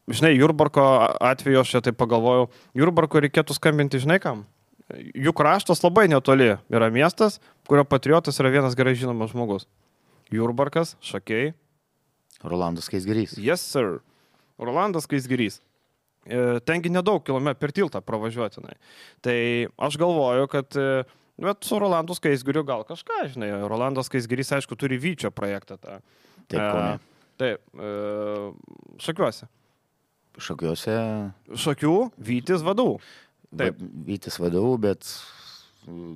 Žinai, Jurbarko atveju aš čia taip pagalvojau, Jurbarko reikėtų skambinti, žinai kam? Jų kraštas labai netoli yra miestas, kurio patriotas yra vienas gerai žinomas žmogus. Jurbarkas, Šakiai. Rolandas Skaisgirys. Yes, sir. Rolandas Skaisgirys. Tengi nedaug kilometrų per tiltą pravažiuotinai. Tai aš galvoju, kad bet su Rolandu Skaisgiriu gal kažką, žinai. Rolandas Skaisgirys, aišku, turi Vyčio projektą. Taip, Kaune. Taip, Šakiuose. Šakių, Vytis vadovų. Taip. Vytis vadovų, bet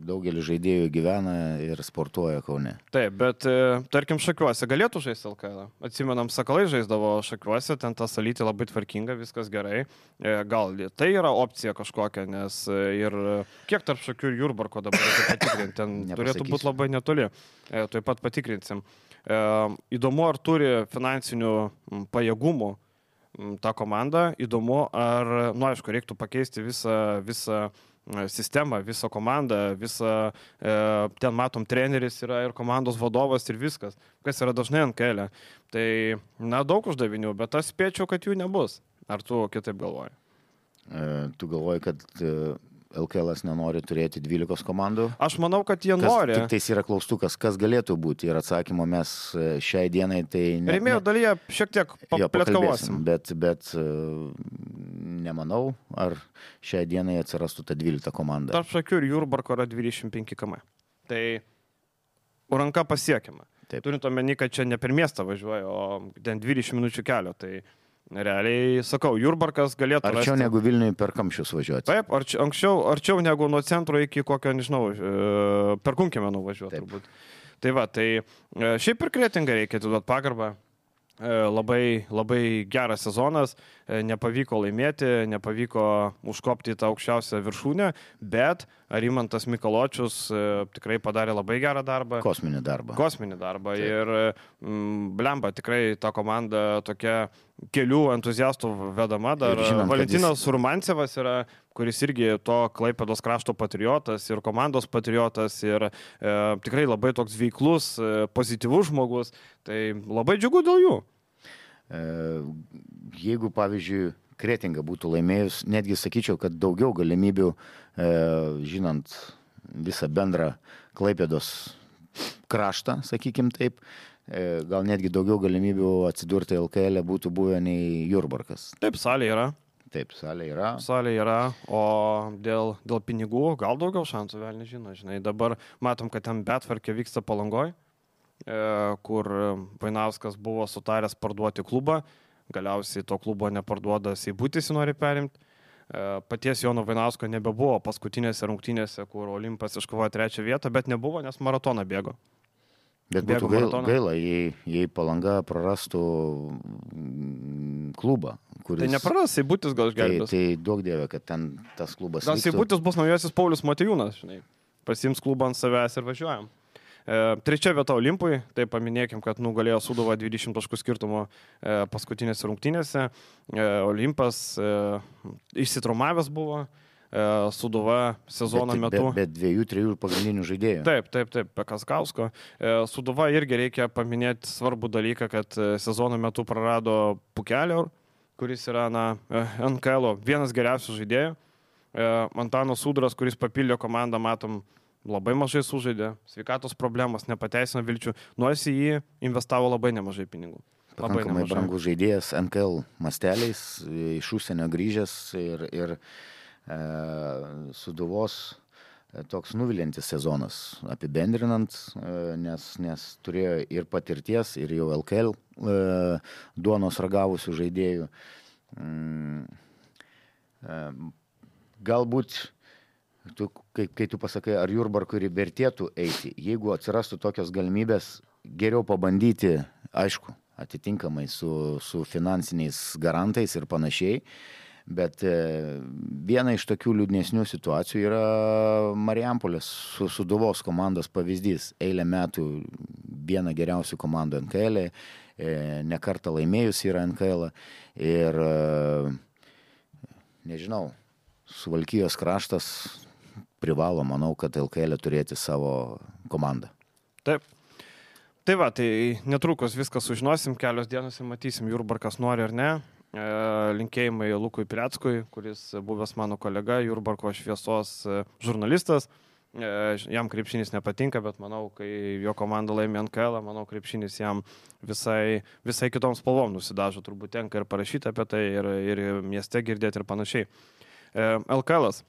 daugelis žaidėjų gyvena ir sportuoja Kaune. Taip, bet tarkim Šakiuose galėtų žaisti LKL. Atsimenam, Sakalai žaisdavo Šakiuose, ten ta salytė labai tvarkinga, viskas gerai. Gal tai yra opcija kažkokia, nes ir kiek tarp Šakių ir Jurbarko dabar reikia patikrinti, ten turėtų būti labai netoli. Taip pat patikrinsim. Įdomu, ar turi finansinių pajėgumų ta komanda, įdomu, ar, aišku, reiktų pakeisti visą sistemą, visą komandą, ten matom treneris yra ir komandos vadovas ir viskas, kas yra dažnai ant kelio. Tai, daug uždavinių, bet aš spėčiau, kad jų nebus. Ar tu kitaip galvoji? Tu galvoji, kad LKL nenori turėti 12 komandų? Aš manau, kad jie nori. Tik tais yra klaustukas, kas galėtų būti. Ir atsakymo mes šiai dienai tai... Rėmėjo dalyje šiek tiek paplėtkavosim. Bet nemanau, ar šiai dienai atsirastų ta 12 komanda. Tarp Šakių ir Jurbarko yra 25 km. Tai ranka pasiekiama. Turint omeny, kad čia ne per miestą važiuoja, o ten 20 minučių kelio. Tai realiai, sakau, Jurbarkas galėtų arčiau negu Vilniui per Kamščius važiuoti. Taip, arčiau negu nuo centro iki kokio, nežinau, per Kunkėmę nuvažiuoti turbūt. Tai šiaip ir Kretingą reikia duoti pagarbą. Labai, labai geras sezonas, nepavyko laimėti, nepavyko užkopti į tą aukščiausią viršūnę, bet Rimantas Mikaločius tikrai padarė labai gerą darbą. Kosminį darbą. Taip. Ir blemba, tikrai ta komanda tokia kelių entuziastų vedama. Dar Valentinas Surmancevas yra, kuris irgi to Klaipėdos krašto patriotas ir komandos patriotas ir tikrai labai toks veiklus, pozityvus žmogus. Tai labai džiugu dėl jų. Jeigu, pavyzdžiui, Kretinga būtų laimėjus, netgi sakyčiau, kad daugiau galimybių, žinant visą bendrą Klaipėdos kraštą, sakykim taip, gal netgi daugiau galimybių atsidurti LKL būtų buvę nei Jurbarkas. Taip, salė yra. Taip, salė yra. Salė yra, o dėl pinigų gal daugiau šansų, vėl nežino. Žinai, dabar matom, kad ten betvarkė vyksta Palangoj, kur Vainauskas buvo sutaręs parduoti klubą, galiausiai to klubo neparduoda, Seibutis nori perimti. Paties Jono Vainausko nebebuvo paskutinėse rungtynėse, kur Olimpas iškovojo 3 vietą, bet nebuvo, nes maratoną bėgo. Bet būtų gaila, jei Palanga prarastų klubą. Kuris... Tai nepraras, Seibutis gal išgelbės. Tai duok dieve, kad ten tas klubas gal Seibutis bus naujasis Paulius Motiejūnas, žinai. Pasiims klubą ant savęs ir važiuojam. 3 vieta Olimpui, tai paminėkim, kad nugalėjo Sūduva 20 taškų skirtumo paskutinėse rungtynėse. Olimpas išsitraumavęs buvo, Sūduva sezono metu. Bet 2-3 pagrindinių žaidėjų. Taip, Pekaskausko. Sūduva irgi reikia paminėti svarbų dalyką, kad sezono metu prarado Pukelio, kuris yra NKL vienas geriausių žaidėjų. Antanas Sudras, kuris papildė komandą, matom, labai mažai sužaidė, sveikatos problemos, nepateisino vilčių, nors į jį investavo labai nemažai pinigų. Pakankamai brangus žaidėjas NKL masteliais, iš užsienio grįžęs ir Sūduvos toks nuvilintis sezonas apibendrinant, nes turėjo ir patirties, ir jau LKL duonos ragavusių žaidėjų. Galbūt, kai tu pasakai, ar Jurbarkui vertėtų eiti, jeigu atsirastų tokios galimybės, geriau pabandyti, aišku, atitinkamai su finansiniais garantais ir panašiai, bet viena iš tokių liūdnesnių situacijų yra Marijampolės Sūduvos komandos pavyzdys. Eilę metų viena geriausių komandų NKL, ne kartą laimėjus yra NKL ir nežinau, Suvalkijos kraštas privalo, manau, kad LKL turėti savo komandą. Taip. Tai va, tai netrukus viską sužinosim, kelios dienos ir matysim, Jurbarkas nori ar ne. Linkėjimai Lukui Pileckui, kuris buvęs mano kolega, Jurbarko šviesos žurnalistas. Jam krepšinis nepatinka, bet manau, kai jo komanda laimė NKL, manau, krepšinis jam visai kitoms spalvom nusidažo, turbūt tenka ir parašyti apie tai, ir mieste girdėti ir panašiai. LKL-as.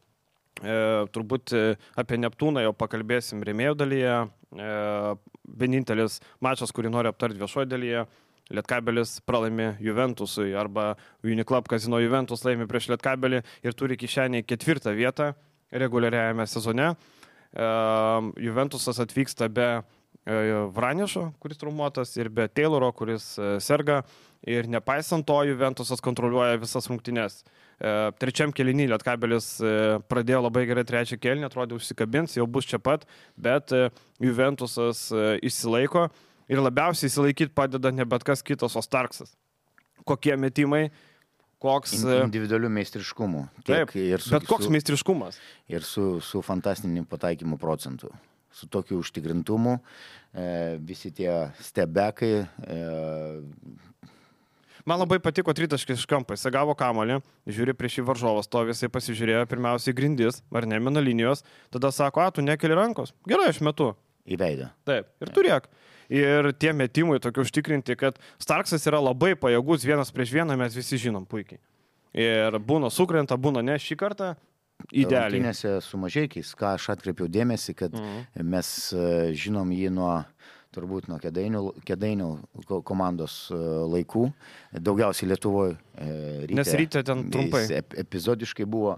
Turbūt apie Neptūną jau pakalbėsim rėmėjų dalyje. Vienintelis mačas, kurį noriu aptarti viešoje dalyje, Lietkabelis pralaimi Juventusui arba Uniclub Casino Juventus laimi prieš Lietkabelį ir turi kišenėje 4. vietą reguliariajame sezone. Juventusas atvyksta be Vranišo, kuris traumuotas, ir be Tayloro, kuris serga, ir nepaisant to Juventusas kontroliuoja visas rungtynes. Trečiam kėlinį Lietkabelis pradėjo labai gerai, trečią kėlinį, atrodė užsikabins, jau bus čia pat, bet Juventusas išsilaiko ir labiausiai išsilaikyti padeda ne bet kas kitas, o Starksas. Kokie metimai, koks... Individualių meistriškumų. Taip, bet koks meistriškumas. Ir su fantastiniu pataikymu procentu. Su tokiu užtikrintumu, visi tie stebekai. Man labai patiko tritaškis iš kampo, jis gavo kamuolį, žiūri prieš jį varžovas, to visai pasižiūrėjo pirmiausiai grindis, ar ne mino linijos, tada sako, tu nekeli rankos, gerai, aš metu. Į veidą. Taip, ir turėk. Ir tie metimai tokie užtikrinti, kad Starksas yra labai pajėgus, vienas prieš vieną mes visi žinom puikiai. Ir būna sukrenta, būna ne, šį kartą idealiai. Rungtynėse su Mažeikiais, ką aš atkreipiau dėmesį, kad mes žinom jį turbūt nuo Kėdainių komandos laikų, daugiausiai Lietuvoje. Nes ryte ten trumpai. Epizodiškai buvo,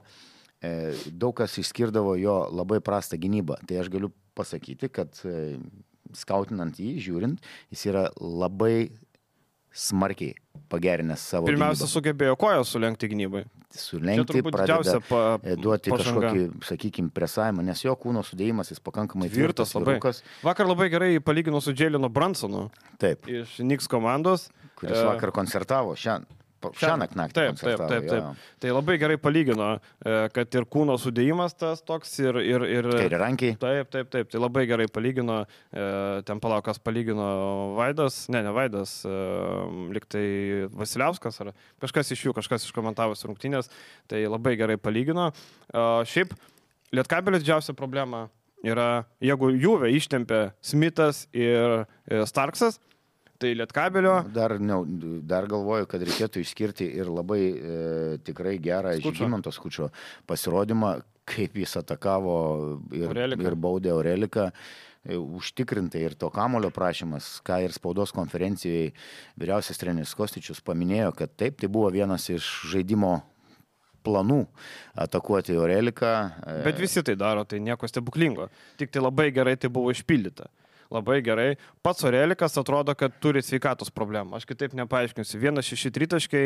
daug kas išskirdavo jo labai prastą gynybą. Tai aš galiu pasakyti, kad skautinant jį, žiūrint, jis yra labai smarkiai pagerinęs savo Pirmiausia, gynybą. Sugebėjo koją sulenkti gynybai. Sulenkti, pradeda duoti kažkokį, sakykime, presavimą, nes jo kūno sudėjimas jis pakankamai tvirtas labai. Vakar labai gerai palygino su Džeilinu Bransonu. Taip. Iš Knicks komandos. Kuris vakar koncertavo šiąnakt koncertavo. Taip. Tai labai gerai palygino, kad ir kūno sudėjimas tas toks ir... Kairė rankiai. Taip. Tai labai gerai palygino. Ten palaukas palygino Vaidas, ne Vaidas, liktai Vasiliauskas ar kažkas iš jų, kažkas iškomentavus rungtynės. Tai labai gerai palygino. Šiaip, Lietkabelio didžiausia problema yra, jeigu Juve ištempia Smithas ir Starksas, tai Lietkabelio... Dar galvoju, kad reikėtų išskirti ir labai tikrai gerą Žygimanto Skučo pasirodymą, kaip jis atakavo ir baudė Aureliką. Užtikrintai ir to kamulio prašymas, ką ir spaudos konferencijoje vyriausias treneris Kostičius paminėjo, kad taip, tai buvo vienas iš žaidimo planų atakuoti Aureliką. Bet visi tai daro, tai nieko stebuklingo. Tik tai labai gerai tai buvo išpildyta. Labai gerai. Pats Aurelikas atrodo, kad turi sveikatos problemą. Aš kitaip nepaaiškinsiu. 1-6 tritaškai,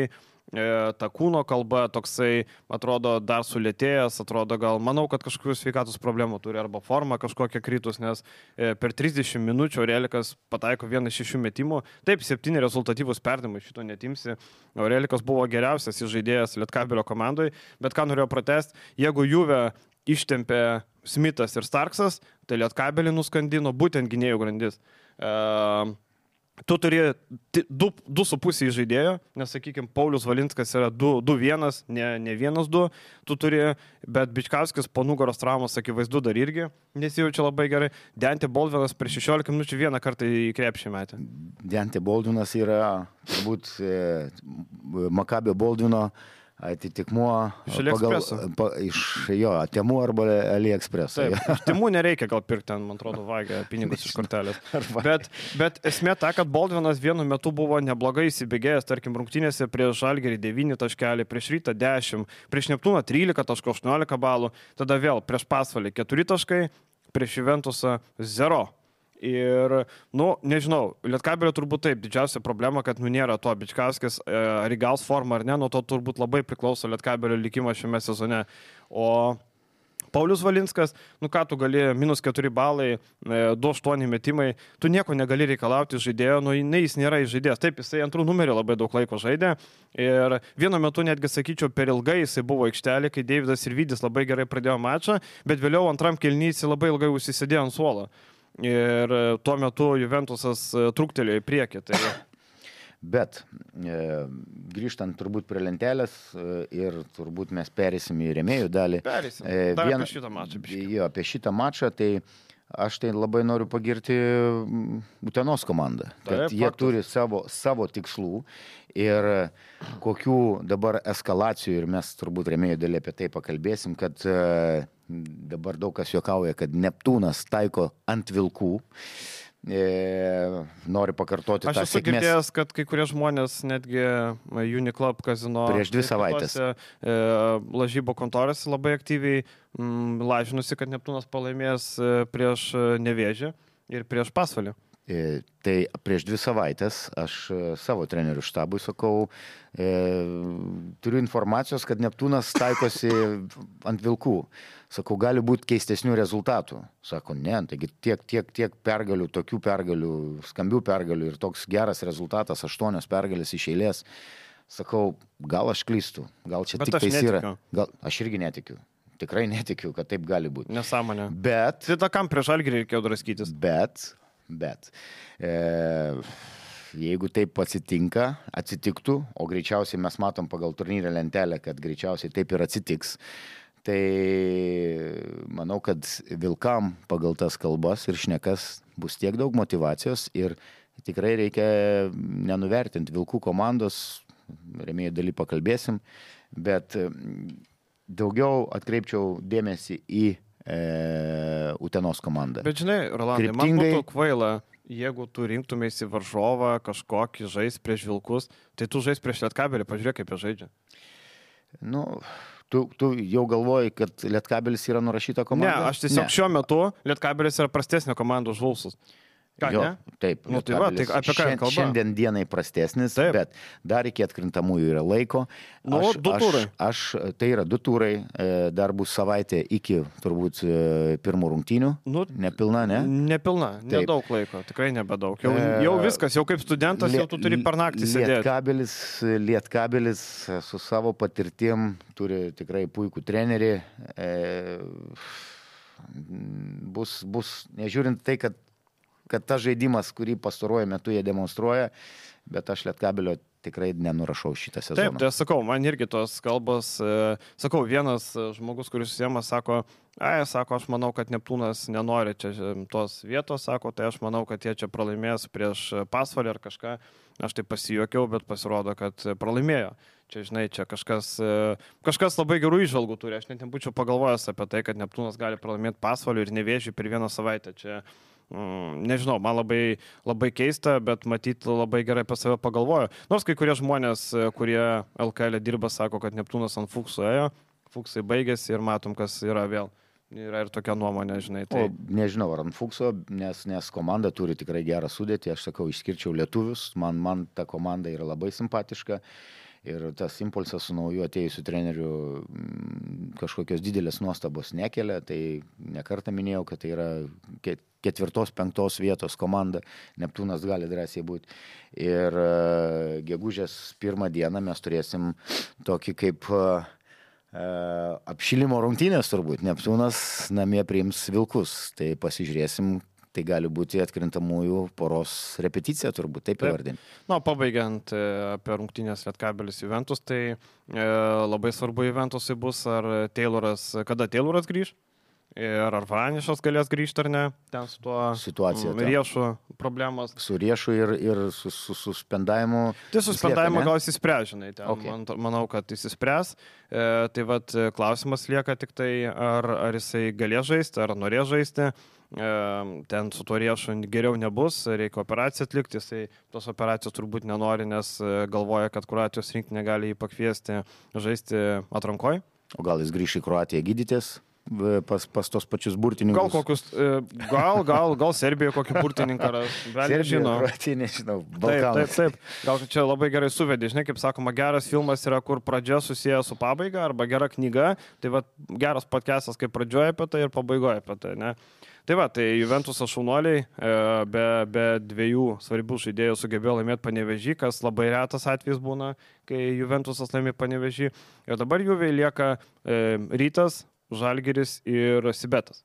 ta kūno kalba toksai, atrodo, dar sulėtėjęs, atrodo, manau, kad kažkokių sveikatos problemų turi arba forma kažkokia kritus, nes per 30 minučių Aurelikas pataiko 1-6 metimų. Taip, 7 rezultatyvus perdavimai, šito netimsi. Aurelikas buvo geriausias žaidėjas Lietkabelio komandai, bet ką norėjau pratęsti, jeigu Juve ištempė Smithas ir Starksas, tai Lietkabelį nuskandino būtent gynėjų grandis. tu turi 2,5 žaidėjo, nes, sakykime, Paulius Valinskas yra 2-1, ne 1-2, tu turi, bet Bičkauskis po nugaros traumos, akivaizdu, dar irgi nesijaučia labai gerai. Dante Baldvinas prieš 16 minučių vieną kartą į krepšį metę. Dante Baldvinas yra turbūt Makabio Baldvino atitikmuo iš jo Temu arba AliExpresso. Taip, Temu nereikia gal pirkti ten, man atrodo, vagia pinigus iš kortelės. Bet esmė ta, kad Baldvinas vienu metu buvo neblogai įsibėgėjęs, tarkim, rungtynėse prieš Žalgirį 9 taškelį, prieš Rytą 10, prieš Neptūną 13 taškų, 18 balų, tada vėl prieš Pasvalį 4 taškai, prieš Juventusą 0. Ir, nežinau, Lietkabelio turbūt taip, didžiausia problema, kad nėra to Bičkauskis, ar įgaus formą ar ne, nuo to turbūt labai priklauso Lietkabelio likimas šiame sezone. O Paulius Valinskas, ką tu gali, -4 balai, 2-8 metimai, tu nieko negali reikalauti žaidėjo, jis nėra žaidėjas. Taip, jisai antrų numerių labai daug laiko žaidė ir vienu metu netgi, sakyčiau, per ilgai jisai buvo aikštelė, kai Deividas Sirvydis labai gerai pradėjo mačą, bet vėliau antram kėliny jisai labai ilgai užsisėdėjo ant suolo. Ir tuo metu Juventusas truktelėjo į priekį. Tai... Bet grįžtant turbūt prie lentelės ir turbūt mes perėsim į rėmėjų dalį. Perėsim. Apie šitą mačą. Jo, apie šitą mačą, tai aš tai labai noriu pagirti Utenos komandą. Kad jie turi savo tikslų ir kokių dabar eskalacijų, ir mes turbūt rėmėjų dalį apie tai pakalbėsim, kad dabar daug kas juokauja, kad Neptūnas taiko ant vilkų. Noriu pakartoti tą sėkmės. Aš esu girdėjęs, kad kai kurie žmonės netgi Uniclub kazino prieš 2 savaitės lažybo kontorėse labai aktyviai lažinusi, kad Neptūnas pralaimės prieš Nevėžį ir prieš Pasvalį. Tai prieš 2 savaitės aš savo trenerių štabui sakau, turiu informacijos, kad Neptūnas taikosi ant vilkų. Sakau, gali būti keistesnių rezultatų. Sako, ne, taigi tiek pergalių, tokių pergalių, skambių pergalių ir toks geras rezultatas, 8 pergalės iš eilės. Sakau, gal aš klystu, gal čia bet tik tais netikiu. Yra. Gal aš irgi netikiu. Tikrai netikiu, kad taip gali būti. Nesąmonė. Bet... Tai kam prieš Žalgirį reikėjo draskytis? Bet jeigu taip atsitiktų, o greičiausiai mes matom pagal turnyrę lentelę, kad greičiausiai taip ir atsitiks, tai manau, kad vilkam pagal tas kalbas ir šnekas bus tiek daug motyvacijos ir tikrai reikia nenuvertinti vilkų komandos, rėmėjų daly pakalbėsim, bet daugiau atkreipčiau dėmesį į Utenos komandą. Bet žinai, Rolandai, man būtų kvaila, jeigu tu rinktumėsi varžovą kažkokį žais prieš vilkus, tai tu žais prieš Lietkabelį, pažiūrėk, kaip jie žaidžia. Tu jau galvoji, kad Lietkabelis yra nurašyta komanda? Ne, aš tiesiog šiuo metu Lietkabelis yra prastesnė komanda už Vulsus. Ką, jo, ne? Taip, tai va, tai apie ką kalba? Šiandien dienai prastesnis, taip. Bet dar iki atkrintamųjų yra laiko. 2 turai. Tai yra 2 turai, dar bus savaitė iki turbūt pirmų rungtynių. Nepilna, ne? Nepilna, nedaug laiko, tikrai nebedaug. Jau viskas, jau kaip studentas, jau tu turi per naktį sėdėti. Lietkabelis su savo patirtim turi tikrai puikų trenerį. Bus, nežiūrint tai, kad tas žaidimas, kurį pastaruoju metu jie demonstruoja, bet aš Lietkabelio tikrai nenurašau šitą sezoną. Taip, tai aš sakau, man irgi tos kalbos, sakau, vienas žmogus, kuris susijama, sako, aš manau, kad Neptūnas nenori čia tos vietos, sako, tai aš manau, kad jie čia pralaimės prieš Pasvalį ar kažką. Aš tai pasijuokiau, bet pasirodo, kad pralaimėjo. Čia, žinai, čia kažkas labai gerų įžvalgų turi. Aš net nebūčiau pagalvojęs apie tai, kad Neptūnas gali pralaimėti Pasvalį ir Nevėžį per 1 savaitę. Čia nežinau, man labai keista, bet matyt labai gerai pas save pagalvojo. Nors kai kurie žmonės, kurie LKL dirba, sako, kad Neptūnas ant Fuksų ėjo, Fuksai baigėsi ir matom, kas yra vėl. Yra ir tokia nuomonė, žinai. Tai... Nežinau, ar ant Fukso, nes komanda turi tikrai gerą sudėtį, aš sakau, išskirčiau lietuvius, man ta komanda yra labai simpatiška. Ir tas impulsas su nauju atėjusiu treneriu kažkokios didelės nuostabos nekelia, tai nekartą minėjau, kad tai yra 4-5 vietos komanda, Neptūnas gali drąsiai būti. Ir gegužės 1 dieną mes turėsim tokį kaip apšilimo rungtynės turbūt, Neptūnas namie priims vilkus, tai pasižiūrėsim, tai gali būti atkrintamųjų poros repeticija, turbūt taip įvardinti. Na, pabaigiant apie rungtynės Lietkabelis Juventus, tai labai svarbu Juventusui bus, ar kada Tayloras grįž. Ir ar Varanišas galės grįžti ar ne, ten su tuo situacija, Riešu problemos. Su Riešu ir su suspendavimu. Tai suspendavimą gal įsispręs, žinai, ten, okay. Manau, kad įsispręs. Tai vat klausimas lieka tik tai, ar jisai galės žaisti, ar norės žaisti. Ten su tuo Riešu geriau nebus, reikia operaciją atlikti, jisai tos operacijos turbūt nenori, nes galvoja, kad Kroatijos rinktinė gali jį pakviesti žaisti atrankoj. O gal jis grįš į Kroatiją gydytis? Pas tos pačius burtininkus. Gal Serbijoje kokį burtininką ras. Serbijoje, nežinau, Balkanas. Taip. Gal čia labai gerai suvedė, žinai, kaip sakoma, geras filmas yra, kur pradžia susiję su pabaiga, arba gera knyga, tai va, geras podcastas, kaip pradžioje apie tai ir pabaigoje apie tai, ne? Tai va, tai Juventuso šaunuoliai be dviejų svarbių žaidėjų sugebėjo laimėti Panevėžį, kas labai retas atvejis būna, kai Juventusas laimė Panevėžį. Ir dabar Juve lieka Rytas, Žalgiris ir Sibetas.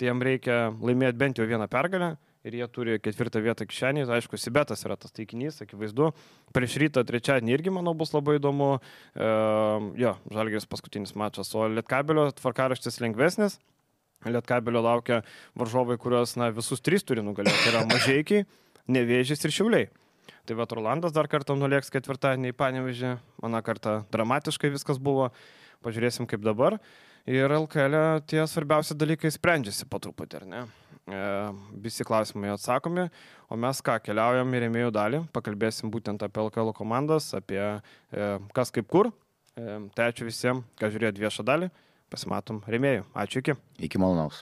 Tai jam reikia laimėti bent jau vieną pergalę ir jie turi 4 vietą kišenį. Aišku, Sibetas yra tas taikinys, akivaizdu. Prieš Rytą trečiadienį irgi, manau, bus labai įdomu. Žalgiris paskutinis mačas, o Lietkabelio tvarkaraštis lengvesnis. Lietkabelio laukia varžovai, kuriuos visus 3 turi nugalėti. Tai yra Mažeikiai, Nevėžis ir Šiauliai. Tai va, Rolandas dar kartą nulėks 4-dienį į Panevėžį. Aną kartą dramatiškai viskas buvo. Pažiūrėsim kaip dabar. Ir LKL tie svarbiausi dalykai sprendžiasi po truputį, ar ne? Visi klausimai atsakomi, o mes keliaujam į rėmėjų dalį, pakalbėsim būtent apie LKL komandas, apie kas kaip kur. Tai ačiū visiems, kas žiūrėjo viešą dalį, pasimatom rėmėjų. Ačiū, iki. Iki malonaus.